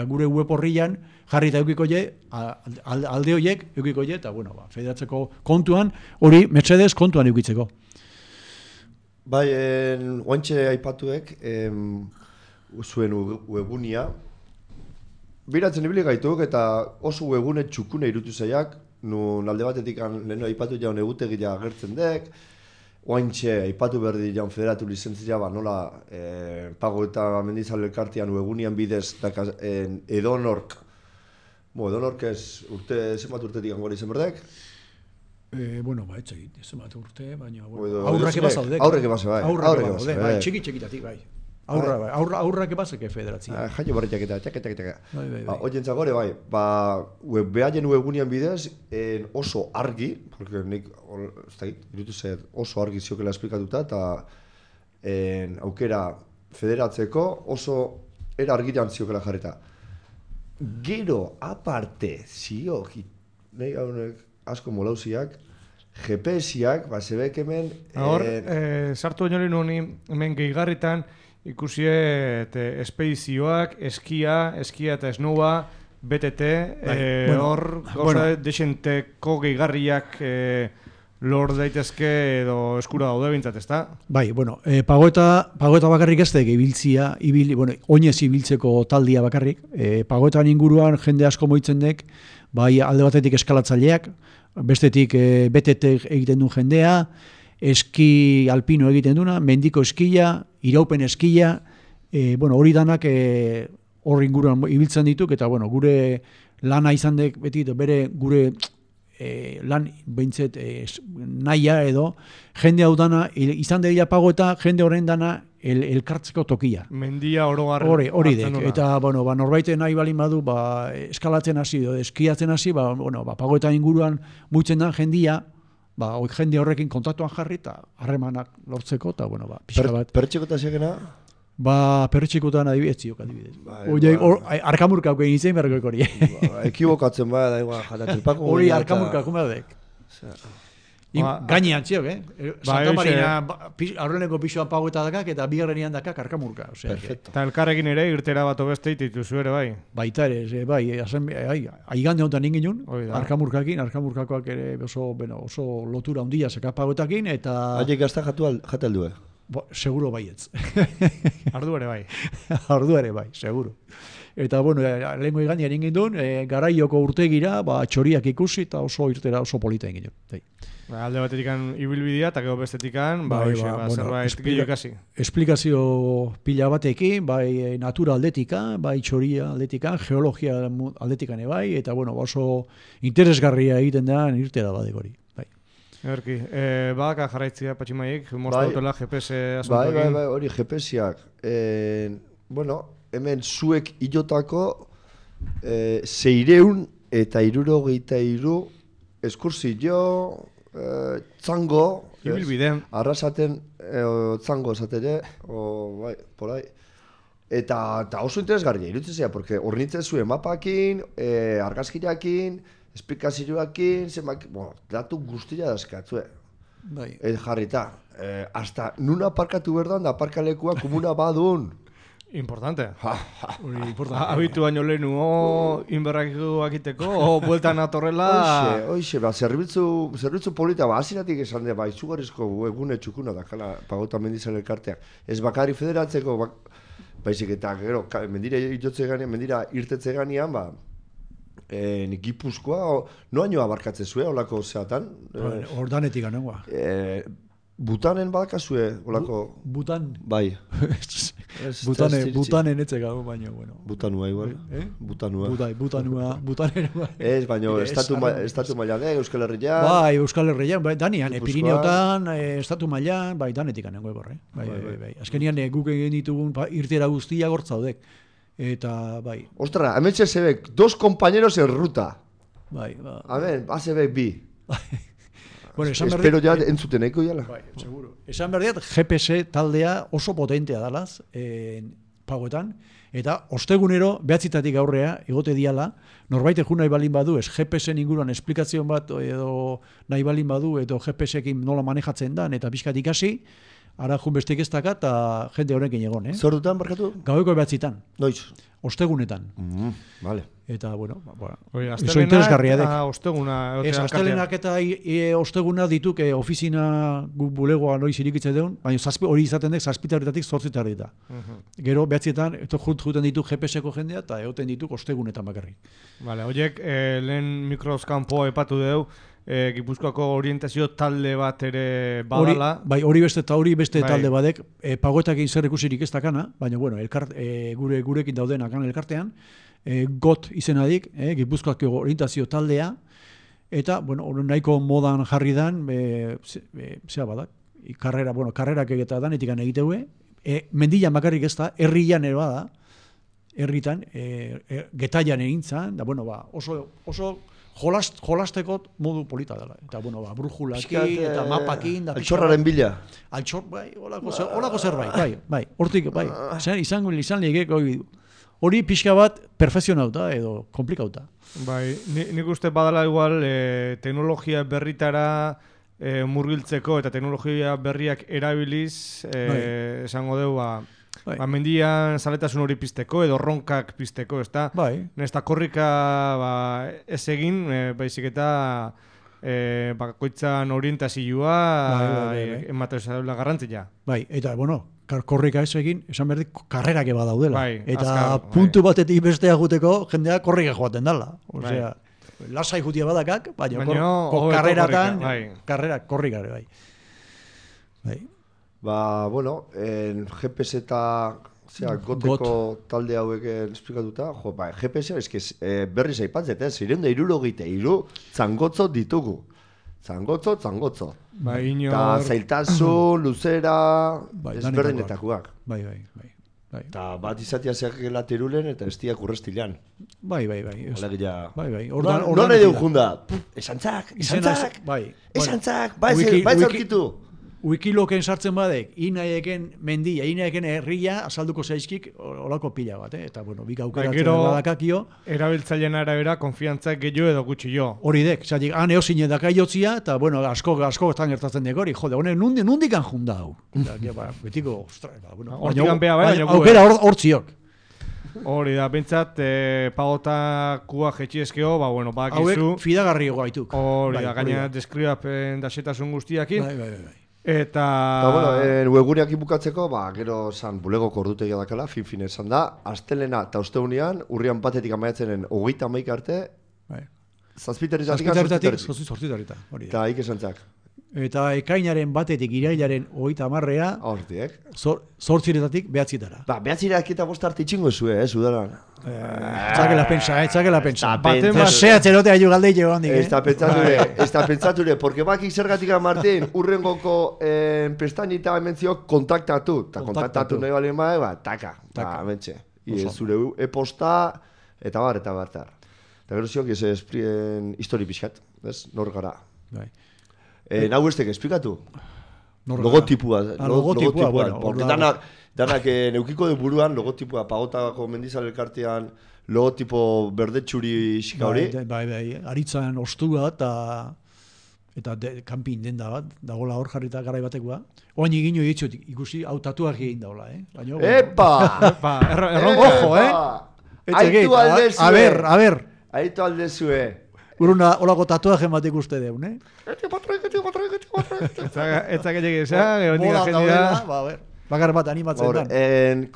gure web horrian jarri eta eukiko alde horiek eukiko eta federatzeko kontuan, hori Mercedes kontuan eukitzeko. Bai, oantxe aipatuek, zuen webunia, biratzen ibili gaituk eta oso webune txukune irutu zaiak, nun alde batetik lehenu aipatu jaun egutegia agertzen dek, oantxe aipatu berdi jaun federatu lizentzia, nola pago eta mendizale elkartean webunian bidez edonork, edonork ez zenbat urtetik angora izan berdek? Etxegit, zenbat urte, baina aurrak ebazaudek. Aurrak ebazaudek, bai, txiki-txikitatik, bai. Aurrak ebazeke federatzia. Jaio barriak eta txak. Oientzak gore, bai, behaien webunian bidez oso argi, porque nik, irutu zait, oso argi ziokela esplikatuta, eta aukera federatzeko oso era argian ziokela jarreta. Gero, aparte, ziok, nahi gaunek asko molauziak, GPS-iak, zebek hemen... Sartu baino honi hemen gehigarritan, ikusiet espedizioak, eskia eta esnoua, BTT, hor gauza desenteko gehigarriak lor daitezke edo eskura daude bintzat, ezta? Bai, pagoeta bakarrik ez dek ibiltzia, oinez ibiltzeko taldia bakarrik, pagoetan inguruan jende asko moitzen dek, bai alde batetik eskalatzaileak, bestetik BTT egiten du jendea, eski alpino egiten duna, mendiko eskia, iraupen eskia, hori danak hor inguruan ibiltzen dituk, eta gure lana izan dek beti, bere gure lan behintzet naia edo, jende hau dana, izan dira pago eta jende horren dana elkartzeko tokia. Mendia orogar. Hori dek, eta norbaite nahi balin badu, eskalatzen hasi, eskiatzen hasi, pago eta inguruan muitzen da jendia, jende horrekin kontaktuan jarri eta harremanak lortzeko, eta pixka bat. Pertxeko zegena? Pertxikotan adibidez. Arkamurka hauken izan berreko hori. Ekibokatzen da igual jatatzen pako. Hori arkamurka, kumadek. Gainean txiok, Santa hoxe. Marina aurreneko pixoan paueta dakak eta bigarrenean dakak arkamurka. Perfecto. Eta elkarrekin ere irtera bat obeste dituzu ere bai. Baita ere, bai, aigande honetan inginun, Hoi da. arkamurkakoak ere oso lotura handia seka pauetakin, eta Haiek gazta jate aldue. seguro baietz. Ardu ere bai. Ordu ere bai, seguro. Eta, bueno, lehenko igania egin gindun, garaioko urtegira, txoriak ikusi eta oso irtera oso polita egin gindun. Alde batetik ibilbidea eta gero bestetik zerbait gehiago kasi. Esplikazio pila batekin, bai natura aldetika, bai txoria aldetika, geologia aldetikan bai, eta bueno, oso interesgarria egiten da irtera badek hori. Bai. Erki, badaka jarraitzia patximaiek, mozta dutela GPS asuntoekin. Bai, hori GPS-ak. Bueno, hemen zuek ilotako 600 eta 63 eskursio, txango, Ibilbide. arrasaten txango esatere, bai, por ahí. Eta oso interesgarria, irutzen zea, porque hornitzen zuen mapakin, argazkirakin, esplikazioakin, datu guztia dazkatzue. Bai. Jarrita, hasta nun aparkatu berdan da aparkalekua komuna badun. Importante. Hori importante. Habitu baino lehenu, inberrakitu akiteko, bueltan atorrela... Hoxe, zerbitzu polita, aziratik esan de, izugarrizko egune txukuna dakala Pagota Mendizale elkarteak. Ez bakari federatzeko, baizik eta, gero, mendira irtetze ganean, Gipuzkoa, noaino abarkatze zuen, olako zeatan? Ordanetik anengoa. Butanen badakazue, olako... Butan? Bai. Butanen etzek hau, baina, bueno. Butanua igual. Butanua. Butanua. Ez, baina estatu mailan, Euskal Herrian. Bai, Euskal Herrian, bai, danian, Pirineotan, estatu mailan, bai, danetik anengo eborre. Bai. Azkenian guk egin ditugun irtera guztia gortzaudek. Eta, bai. Ostra, hemen txezebek, 2 compañeros en ruta. Bai. Hemen, azebek bi. Bueno, espero ja entzuten eko jala. Bai, seguro. Esan berdiat, GPS taldea oso potentea dalaz, Pagoetan, eta ostegunero, behatzitatik aurrea, egote diala, norbait egun nahi balin badu, ez GPS-en inguruan esplikazion bat, edo nahi balin badu, edo GPS-ekin nola manejatzen dan, eta pixkat ikasi, ara jun bestek ez daka, eta jende horrekin egon, Zer dutan, barkatu? Gaueko behatzitan. Noiz? Ostegunetan. Vale. Eta, bueno, oso interesgarria dek. Osteguna. Ez, astelenak eta osteguna dituk ofizina guk bulegoa noiz irikitzen deun, baina hori izaten dek, 7:00 8:00 Gero, behatzietan, juten dituk GPS-eko jendea, eta egoten dituk ostegunetan bakarrik. Vale, horiek, lehen mikroskampo epatu deu, Gipuzkoako orientazio talde bat ere badala. Hori beste talde badek, Pagoetakin zer ikusirik ez dakana, baina, bueno, gurekin daudenak elkartean, GOT izenadik, Gipuzkoako orientazio taldea, eta, bueno, nahiko modan jarri dan, zea badak, karrerak egeta danetik egiteue, mendilan bakarrik ez da, herrian ere bada, herritan, getaian egintzan, da, bueno, oso jolasteko modu polita dela. Eta, bueno, brujulakin eta mapakin. Altxorraren bila. Altxor, bai, holako zerbait, bai. Hortik, bai, izan ligek, hori pixka bat perfezionauta edo komplikauta. Bai, nik uste badala igual teknologia berritara murgiltzeko eta teknologia berriak erabiliz, esango deu, mendian zaletasun hori pizteko edo ronkak pizteko, ez da? Bai. Nesta korrika ez egin, baizik eta bakoitzan orientazioa ematen zaila garrantzia. Bai, eta, bueno, korrika ez egin, esan berdik, karrerak eba daudela. Bai, eta puntu batetik bestea guteko, jendea korrika joaten dala. Osea, lasai jutia badakak, baina karreratan, karrerak korrikare, bai. Bueno, GPS eta goteko talde hauek esplikatuta, GPS berriz aipatzet, 663 zangotzo ditugu. Zangotzo. Eta zailtasun, luzera, ezberdinetakoak. Bai. Eta bat izatea zeakela terulen eta estiak urrestilean. Bai. Alegia. Bai. Nola edo junda? Esantzak. Bai zaurkitu. Wikiloken sartzen badek, inaieken mendia, inaieken herria azalduko zaizkik olako pila bat, Eta, bueno, bik aukeratzen badakakio. Erabiltzaileen arabera, konfiantzak gehiago edo gutxio. Hori dek, zatik, han eozine dakaiotzia, eta, bueno, asko estan gertatzen dek hori, jode, honek nundikan junda hau. Betiko, ostra, bueno, aukera hortziok. Hori da, bentsat, pagotakua jetxiezkeo, bueno, bakizu. Hauek fidagarri gaituk. Hori da, gaina deskribapen dasetasun guztiakin. Bai. Eta webguneak bukatzeko, gero san bulegoko ordutegia dakala, fin esan da, astelena eta ostegunean, urrian batetik amaiatzenen 31 arte, zazpiterritatik. Hori da. Eta ikesantzak. Eta ekainaren batetik irailaren 30 Hortiek. 8 behatzitara. Behatzirak eta bost arte itxingo zue, udaran. Txakela pensa. Sehatzerote aio galdeile handik. Ez da pentsature, porque bakik zergatik Martin, urrengoko pestainita hementziok kontaktatu. Eta kontaktatu nahi balen taka, mentxe. Zure e-posta, eta bar. Eta gero ziok ez esprien histori pixkat, nor gara. Nau estek esplikatu? Logotipua. Porque danak neukiko de buruan logotipua, pagotako mendizal elkartean logotipo berdetxuri xika hori. Bai, aritzan ostua eta kanpin denda bat, dagoela hor jarrita garai batekoa. Oain egin ditut ikusi hau tatuak egin daula, Epa! Ojo, Aitu aldezue. A ber. Aitu aldezue. Uruna olako tatuaje bat ikuste deun, Etzak egin gero nik jendea. Bakar bat animatzen dan.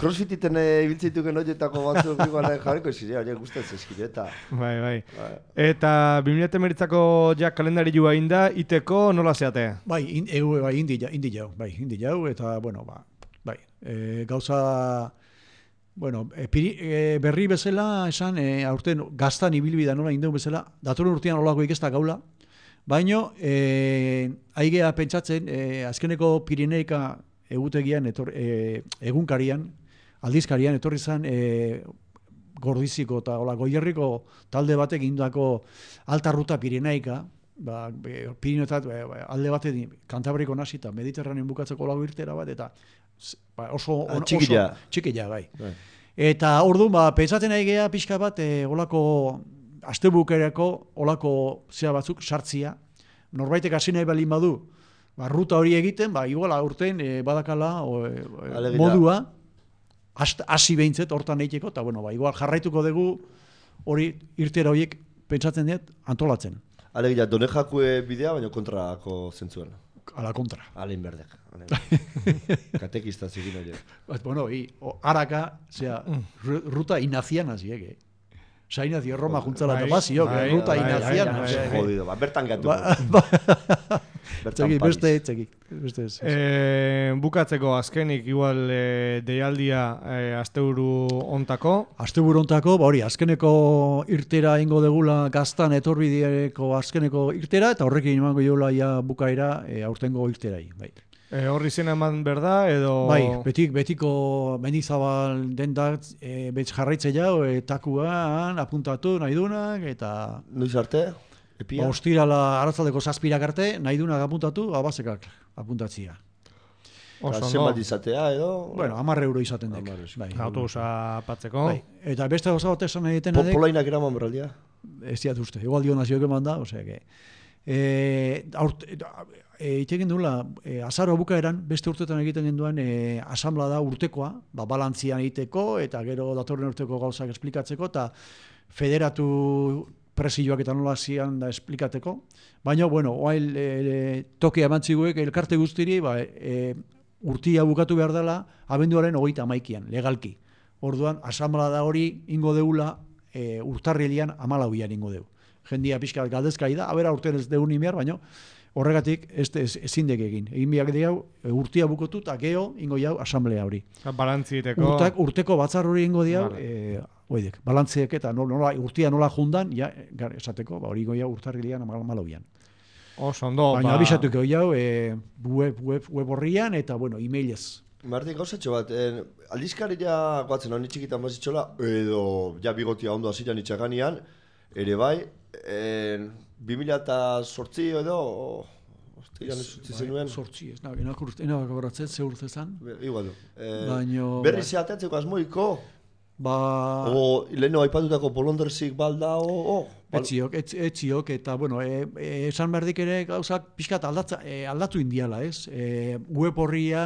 Crossfititen ibiltzeituken horietako batzuk jarriko zirea, gustatzen eskireta. Bai. Eta 2019ko jak kalendari joa inda, iteko nola zeate? Bai, indi jau, eta, bueno, bai, gauza... Bueno, berri bezala, esan, aurten gaztan ibilbida nola indeun bezala, datorren urtean olako ikesta gaula, baino, aigea pentsatzen, azkeneko Pirineika egutegian, egunkarian, aldizkarian, etorri zan, Gordiziko eta Goierriko talde batek indako alta ruta Pirineika, Pirineotat alde batetik Kantabriko nasi eta Mediterranean bukatzeko olako irtera bat, eta oso txikila, bai. Eta orduan, pentsatzen ari geha pixka bat, olako astebukerako olako zea batzuk sartzia. Norbaitek hasi nahi balin badu, ruta hori egiten, igual aurten badakala modua, hasi behintzet hortan egiteko, eta igual jarraituko dugu hori irtera horiek pentsatzen dut antolatzen. Alegia, Donejakue bidea, baina kontrako zentzuan. Ala kontra. Alein berdek. Katekista zigin hori. Bueno, haraka, ruta inaziana ziege. Sainazio Roma juntzala eta bazio, ruta inaziana. Jodido, bertan gatu. Beste bukatzeko azkenik igual deialdia asteburu ontako. Asteburu ontako, hori, azkeneko irtera ingo degula gaztan etorbideeko azkeneko irtera, eta horrekin emango jola bukaera aurtengo irterai. Horri zena eman berda, edo... Bai, betiko Mendizabal dendak jarraitze jau, takuan apuntatu nahi dunak, eta... Noiz arte? Epia? Ostirala aratzaldeko 7 arte, nahi dunak apuntatu, abazekak apuntatzia. Zenbat izatea, edo... Bueno, 10 euro izaten dek. Autobusa patzeko. Eta beste gauza bat esan egiten adek... Polainak eraman berraldia? Ez diat uste, igual dio nazioak eman da, osea que... Itegen duela, azaro bukaeran, beste urtetan egiten genduan, asamblea da urtekoa, balantzian egiteko, eta gero datorren urteko gauzak esplikatzeko, eta federatu presioak eta nola zian da esplikateko. Baina, bueno, oail tokea emantziguek elkarte guztiri, urtia bukatu behar dela, abenduaren 31an, legalki. Orduan, asamblea da hori ingo deula, urtarrilean 14an ingo deu. Jendia pixka galdezkai da, abera urten ez deun imiar, baina horregatik ezin dek egin. Egin biak diau, urtia bukotu eta geho ingo jau asamblea hori. Balantziteko. Urteko batzar hori ingo diau, balantziek eta urtia nola jundan, esateko, hori ingo jau urtarrilean 14an. Ondo, baina abisatuko jau, web horrian eta, emailez. Martin, gauzatxo bat, aldizkaria guatzen honi txikitan bazitxola, edo bigotia ondo aziran itxaganean, ere bai, 2008 edo, Igan ez utzi zenuen? Sortzi, ez enabak horatzen, ze urte zan. Igual du. Baino... Berri zeateatzeko asmoiko? Ba... O, leheno aipatutako bolonderzik balda, Etziok, eta, bueno, esan berdik ere gauzak pixkat aldatu indiala, ez? Web horria,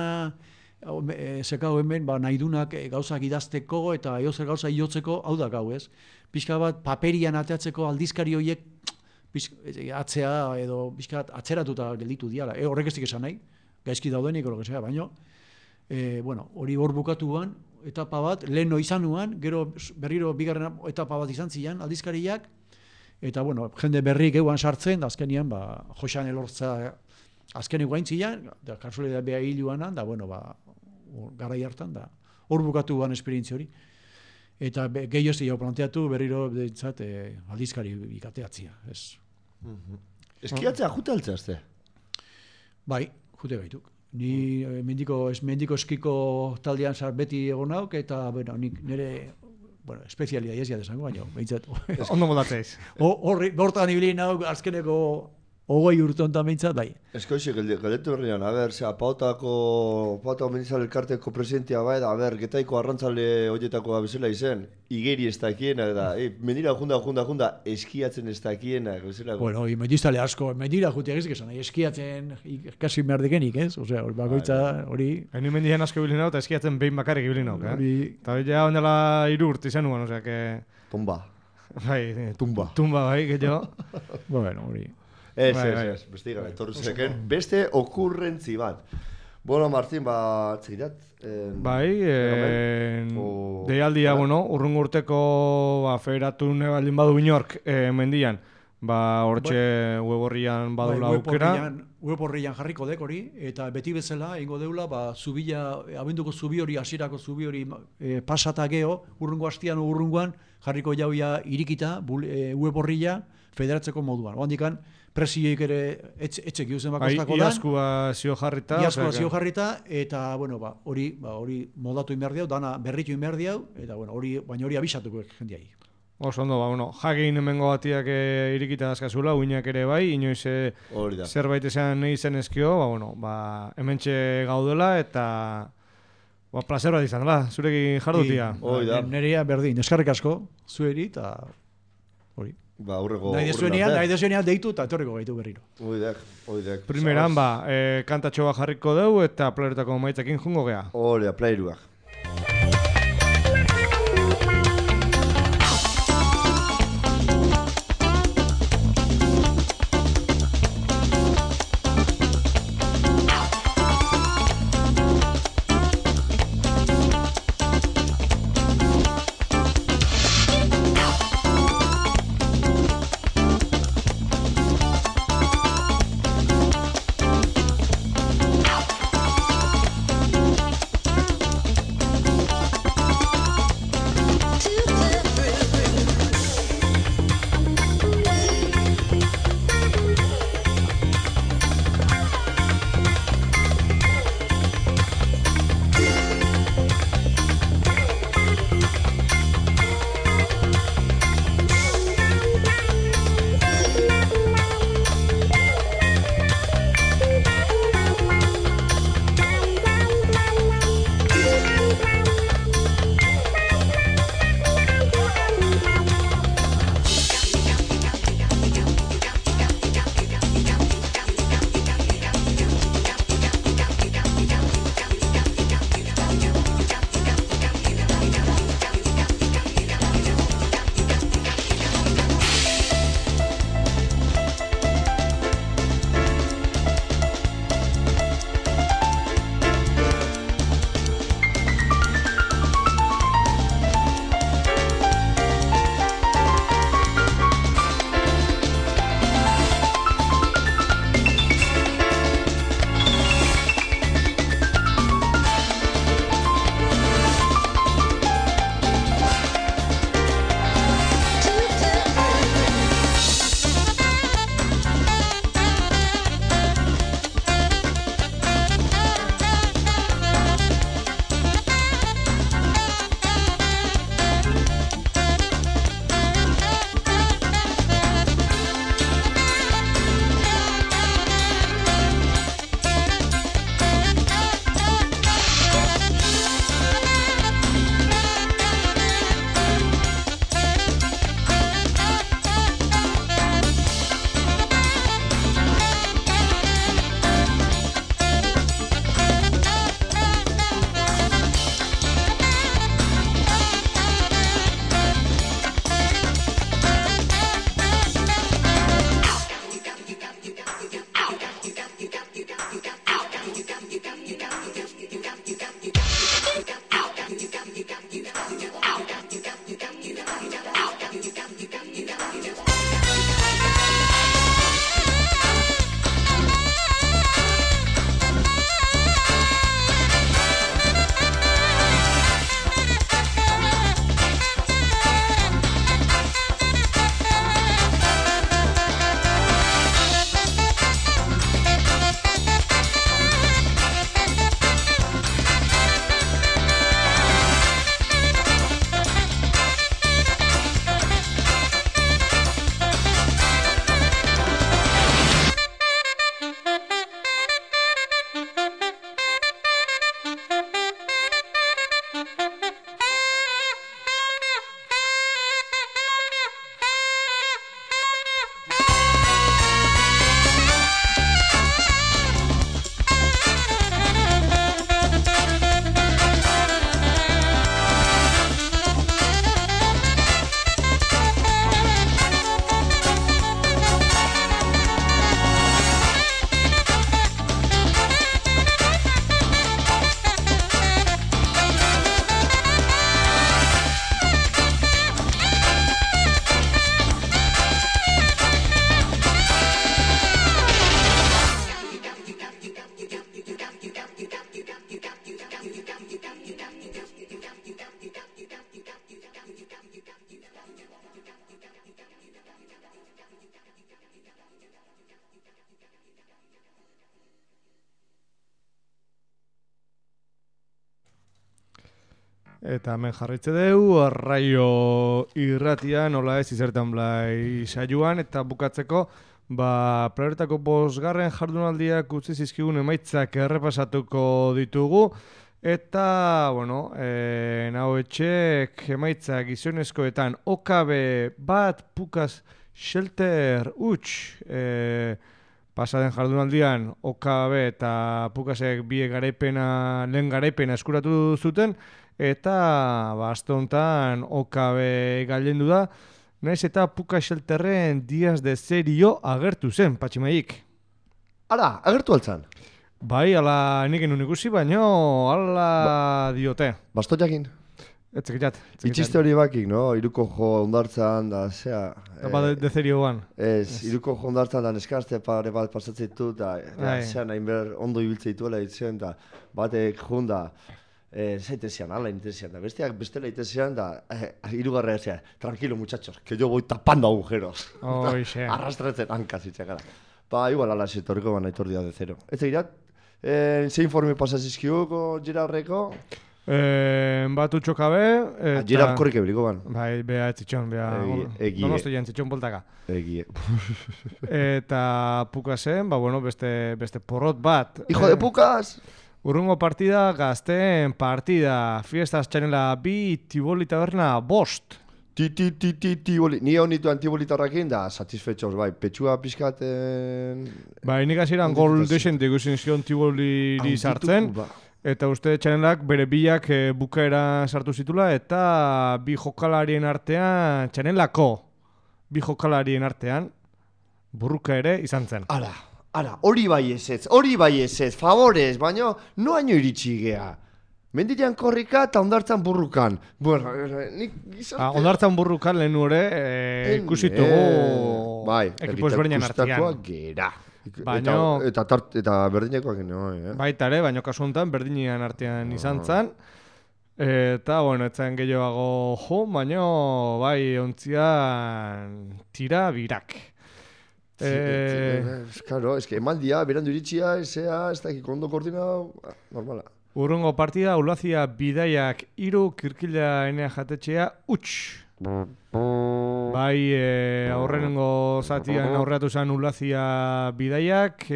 zekau hemen, nahidunak gauzak idazteko eta eozer gauza iotzeko, hau da gau, ez? Pixka bat paperian ateatzeko aldizkari horiek atzea edo pixkat atzeratuta gelditu diala. Horrek ez dik esan nahi, gaizki daudenik, baina, bueno, hori hor bukatuan, etapa bat, leheno izanuan, gero berriro bigarren etapa bat izan zian, aldizkariak, eta, bueno, jende berrik euan sartzen, da azkenian, Joxan Elortza azkenik guain zian, da kasualidad beha hiluanan, da, bueno, garai hartan, da, hor bukatuan esperientzia hori. Eta gehiago zio planteatu berriro dintzat aldizkari ikateatzia, ez. Eskiatzea jute altzazte? Bai, jute gaituk. Ni mendiko eskiko taldean beti egon nauk, eta, bueno, nik nire, bueno, espezialia ez jadesango, baina, behintzat. Ondo moldatzeiz. Hortan ibili nauk, azkeneko 20 urte honetan behintzat, bai. Eskoixe, galdetu berrian, pautako mendizale elkarteko presidentia bai, da, getaiko arrantzale horietakoa bezala izen, igeri ez dakiena, da, mendira junda, eskiatzen ez dakiena, bezala. Bueno, mendizale asko, mendira juteak ez esan, eskiatzen kasi behar dikenik, ez? Osea, bakoitza hori... Hain mendian asko ibilin hau, eta eskiatzen behin bakarrik ibilin hau, Eta ja ondela 3 urte izan nuen, osea, que... Tomba. Bai, Tumba, bai, gehiago. Bueno, hori... Ez, beste gara, etorri zeken, beste okurrentzi bat. Bueno, Martín, txigirat? Bai, deialdia, bueno, urrungo urteko federatu nebaldin badu binork mendian, hortxe web horrian badula aukera. Web horrian jarriko dek hori, eta beti bezala, ingo deula, abenduko zubi hori, hasierako zubi hori pasata geho, urrungo hastian urrungoan, jarriko jauia irikita, web horria, federatzeko moduan. Oandikan, presioik ere etxek giuzen bakostako da. Iaskua zio jarrita. Eta, bueno, hori moldatu inberdi hau, dana berritu inberdi hau, eta, bueno, baina hori abisatuko jendiai. Oso ondo, jakein hemengo batiak irikita dazkazula, uinak ere bai, inoiz zerbait esan nahi zen ezkio, hementxe gaudela, eta placer bat izan, zurekin jardutia. Nerea berdin, eskarrik asko, zueri, eta hori. Nahi dezuenean deitu eta etorriko gaitu berriro. Oidek. Primeran, kantatxo bat jarriko dugu eta playeretako maitzekin jungo gea. Playeruak. Eta hemen jarritze dugu, arraio irratia, nola ez izertan blai saioan, eta bukatzeko, playoretako 5. jardunaldiak utzi zizkigun emaitzak errepasatuko ditugu, eta, naho etxek emaitzak gizonezkoetan OKB bat, Pukas Shelter huts, pasaden jardunaldian OKB eta Pukasek lehen garaipena eskuratu zuten, eta aste honetan OKB gailendu da, naiz eta Pukas Shelterren Diaz de Serio agertu zen, Patximaik. Ara, agertu altzan? Bai, ala nik enun ikusi, baino ala diote. Bastoiakin? Etzekitxat. Itxiste hori bakik, no? Iruko jo ondartzan da, zea... de Serioan. Ez, iruko jo ondartzan da neskazte pare bat pasatzen ditu, eta zea nahin behar ondo ibiltze dituela ditzen, eta batek junda... zaitezian, ala intezian, da besteak bestela itezian, da hirugarra zea, tranquilo muchachos, que yo voy tapando agujeros. Arrastratzen hankaz itxakara. Igual ala etorriko baina etor Diaz de Zero. Ez egirat, ze informe pasazizkiuko Girardreko? Bat utxokabe... Girard korrik ebiliko ban. Bai, beha etzitxon, beha... Donosti jen etzitxon poltaka. Egie. Eta Pukasen, beste porrot bat. Hijo de Pukas! Urrungo partida, Gazteen partida, Fiestas Txanela 2, Tiboli Taberna 5. Tiboli, ni hau nituen Tiboli Tabernakin da, satisfetxos, bai, petxua pizkaten... Bai, nik hasieran gol desente ikusten zion Tiboli sartzen, eta uste Txanelak bere biak bukaera sartu zitula, eta bi jokalarien artean, Txanelako bi jokalarien artean, burruka ere izan zen. Ara, hori bai ez, favorez, baina noaino iritsi gea. Mendilean korrika eta ondartzan burrukan. Bueno, nik gizarte... Ondartzan burrukan lehen ere ikusitugu ekipo ezberdinen artean. Kustakoak gera. Eta berdinekoak geno. Baita ere, baina kasu honetan berdinean artean izan zen. Eta, etzen gehiago jo, baina bai ontzian tira birak. Claro, emaldia, berandu iritsia, ez dakik ondo koordinau, normala. Urrungo partida, Ulazia bidaiak 3, Kirkila enea jatetxea huts. Bai, aurrenengo zatian aurreatu zen Ulazia bidaiak,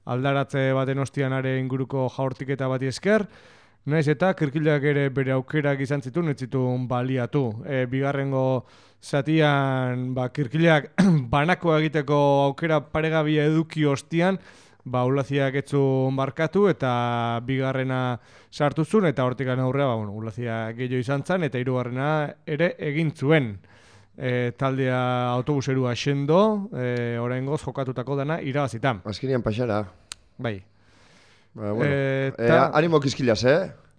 aldaratze baten ostianare inguruko jaurtiketa bati esker, naiz eta Kirkilak ere bere aukerak izan zituen, ez zituen baliatu. Bigarrengo zatian Kirkilak banako egiteko aukera paregabia eduki ostian, Ulaziak etzun barkatu eta bigarrena sartu zuen, eta hortikan aurrea Ulazia gehiago izan zen, eta hirugarrena ere egin zuen. Taldea autobuserua xendo, oraingoz jokatutako dana irabazita. Azkenean paxara. Bai. Animo kizkilaz,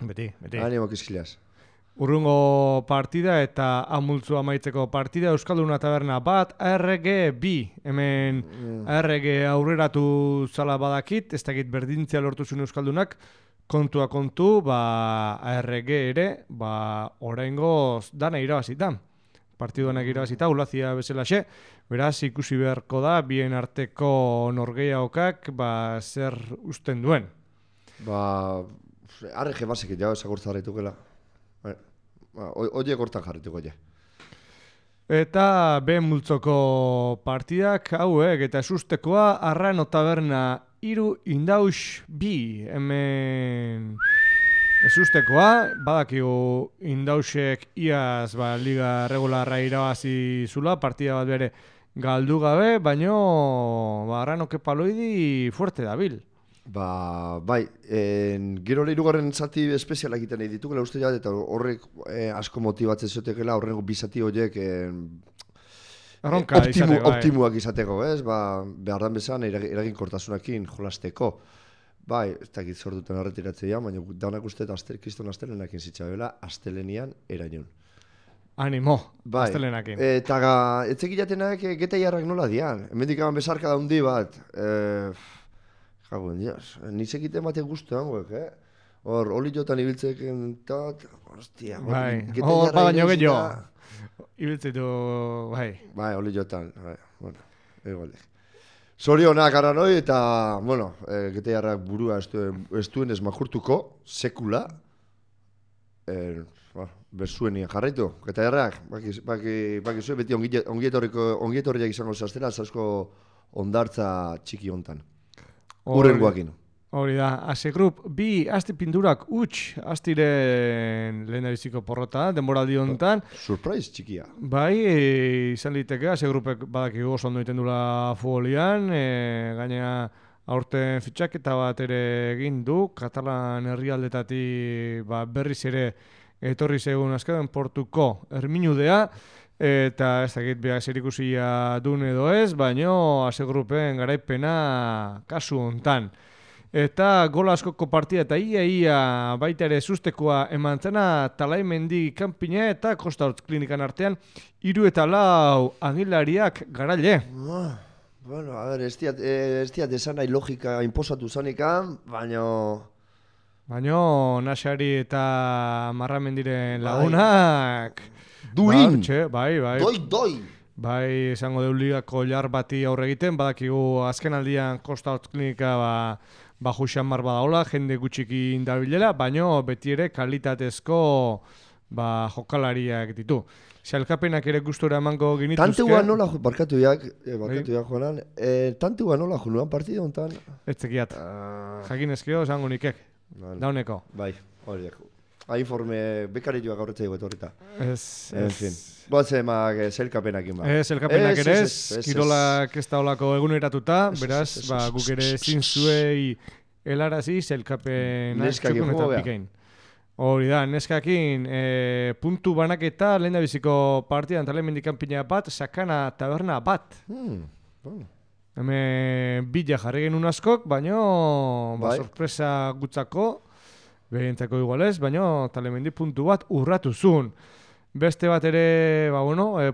Beti. Animo kizkilaz. Urrungo partida eta amultzu amaitzeko partida, Euskalduna Taberna bat, ARG bi. Hemen ARG aurreratu zala badakit, ez dakit berdintzea lortu zuen Euskaldunak, kontua kontu, ARG ere, oraingoz dana irabazita. Partiduanak irabazita, Ulazia bezalaxe, beraz ikusi beharko da, bien arteko norgeiagokak, zer usten duen. ARG basek jau esagurtza harritukela. Oie gortan jarrituko, Eta B multzoko partidak hauek eta sustekoa Arrano Taberna 3, Indaus 2. Hemen Ez ustekoa, badakigu Indausek iaz liga regularra irabazi zula, partida bat bere galdu gabe, baino Arrano Kepaloidi fuerte dabil. Bai, gero hirugarren zati espezialak egiten nahi ditukela uste jat, eta horrek asko motibatzen ziotekela, horrengo bizati horiek optimuak izateko, ez? Behar dan bezan eraginkortasunakin jolasteko. Bai, ez dakit zor duten arretiratzea, baina daunak uste kriston astelenakin zitzabela, astelenian erainun. Animo, astelenakin. Eta etzeki jatenak geta jarrak nola dian. Hemendik aban bezarka daundi bat. Jagoen, dios, nizek iten batek guztu hangoek, Hor, oli jotan ibiltzeken tot, hostia, geta jarra ibiltzita. Ibiltzitu, bai. Bai, oli jotan, bueno, egoldek. Zorionak Arranoi eta, bueno, geta jarrak burua ez duen ez makurtuko, sekula. Berzuenien jarraitu, geta jarrak, baki zuen beti ongietorriak izango zaztela, zasko ondartza txiki hontan. Urrengoakin. Hori da, Ase Group, bi asti pindurak astiren lehen biziko porrota, denboraldi honetan. Surprise txikia. Bai, izan liteke, Ase Groupek badakigu oso ondo egiten dula futbolian, gainera aurten fitxaketa bat ere egin du, Katalan herrialdetatik berriz ere etorri zegoen azken Portuko Erminudea, eta ez dakit behar zerikusia duen edo ez, baino Ase Groupen garaipena kasu hontan. Eta gola askoko partida eta ia baita ere sustekoa eman zena Talaimendi kanpina eta Costa Hortz klinikan artean 3 eta 4 Agilariak garaile. Bueno, a ver, ez diat esan nahi logika inposatu zanekan, baino Nasari eta Marramendiren lagunak duin! Bai. Doi! Bai, esango deu ligako jar bati aurre egiten, badakigu azken aldian Costa Hortz klinika Juxan mar badaola, jende gutxiki indabilela, baino beti ere kalitatezko jokalariak ditu. Zalkapenak ere gustora emango genituzke. Tantua nola barkatu jak joanan, tantua nola joan partida honetan? Ez zekiat. Jakin ezkio, esango nikek. Dauneko. Bai, hori jako. Informe bekarioak aurretzea egot horreta. En fin. Boatzemak zelkapenakin zelkapenak ere ez, kirolak ez da olako eguneratuta, beraz, guk ere zintzuei helarazi zelkapenak txukun eta pikain. Hori da, neskakin, puntu banaketa lehen da biziko partidan Talaimendi kanpina bat, Sakana taberna bat. Hemen bila jarri genuen askok, baino sorpresa gutzako, behintzako igualez, baino Talaimendi puntu bat urratu zuen. Beste bat ere,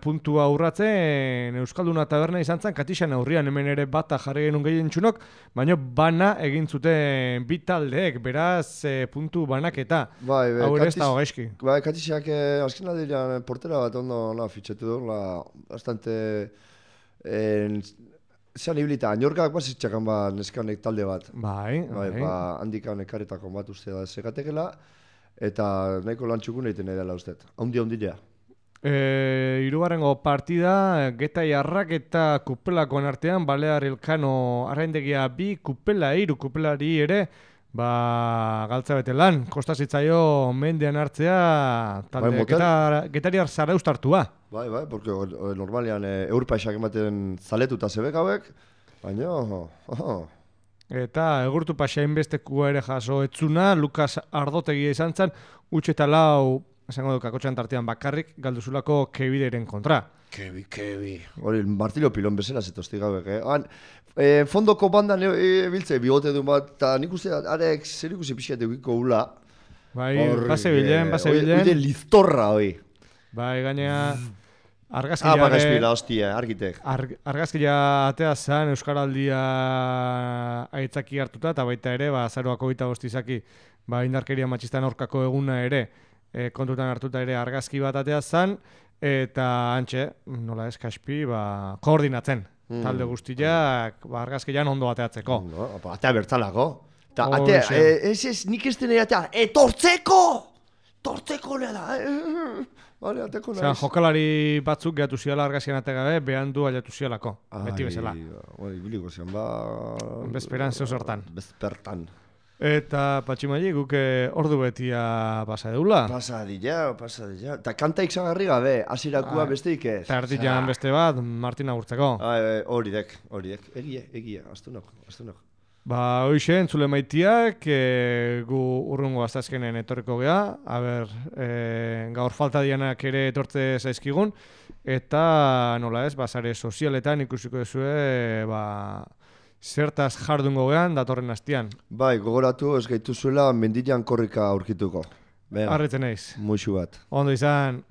puntua urratzen Euskalduna taberna izan zen, Katixan aurrian hemen ere bata jarri genuen gehien txunok, baina bana egin zuten bi taldeek, beraz puntu banaketa. Hau ere ez da hogaizki. Bai, Katixak azken aldiran portera bat ondo fitxetu du, bastante zean ibilita, Añorkak bazitxakan neskanek talde bat. Bai. Handikan ekaretako bat uste da zegatekela, eta nahiko lantxukun egiten nahi dela uste. Haundilea. Hirugarrengo partida, Geta Jarrak eta Kupelakoan artean, Balear Elkano arraindegia 2, Kupela 3, Kupelari ere, galtza bete lan. Kosta zitzaio mendean hartzea, talde Getariar Zaraustartua. Bai, porque normalian eurpaixak ematen zaletuta zebek hauek, baina... Eta egurtu pasain bestekua ere jaso etzuna, Lukas Ardotegia izan zen, utxe eta 4, esango du kakotxan tartean bakarrik, galduzulako Kebideren kontra. Kebi. Hori, Martillo Pilon bezala zetozti gauek, fondoko bandan ebiltze bigote duen bat, eta nik uste arek zer ikusi pixkat egiko ula. Bai, basebilen. Oide liztorra, hoi. Bai, gainea... Bagazpila, hostia, argitek. Argazkia atea zen Euskaraldia aitzaki hartuta, eta baita ere, azaroako 25 izaki, indarkeria matxistan aurkako eguna ere, kontutan hartuta ere argazki bat atea zen, eta antxe, nola ez, Kaspi, koordinatzen. Talde guztiak, argazkian ondo ateatzeko. Atea bertzalako. Eta atea, nik ez denei atea, tortzeko! Tortzeko nela, Vale, ateko naiz. Jokalari batzuk gehatu ziala argazkian ate gabe, behan du aliatu zialako, beti bezala. Ibiliko zian, Bezperan zeu zertan. Bezpertan. Eta Patximaili guk ordu betia pasa deula. Pasa dira. Ta kanta iksagarri gabe, hasirakua besteik ez. Eta erdian beste bat, Martin agurtzeko. Horidek. Egia, astunok. Ba, hoxe, entzule maitiak, gu urrungo aztazkenen etorriko gea, gaur falta dianak ere etortze zaizkigun, eta nola ez, sare sozialetan ikusiko duzue, zertaz jardungo gean datorren hastian. Bai, gogoratu ez gaituzuela mendian korrika aurkituko. Arretzen naiz. Muxu bat. Ondo izan.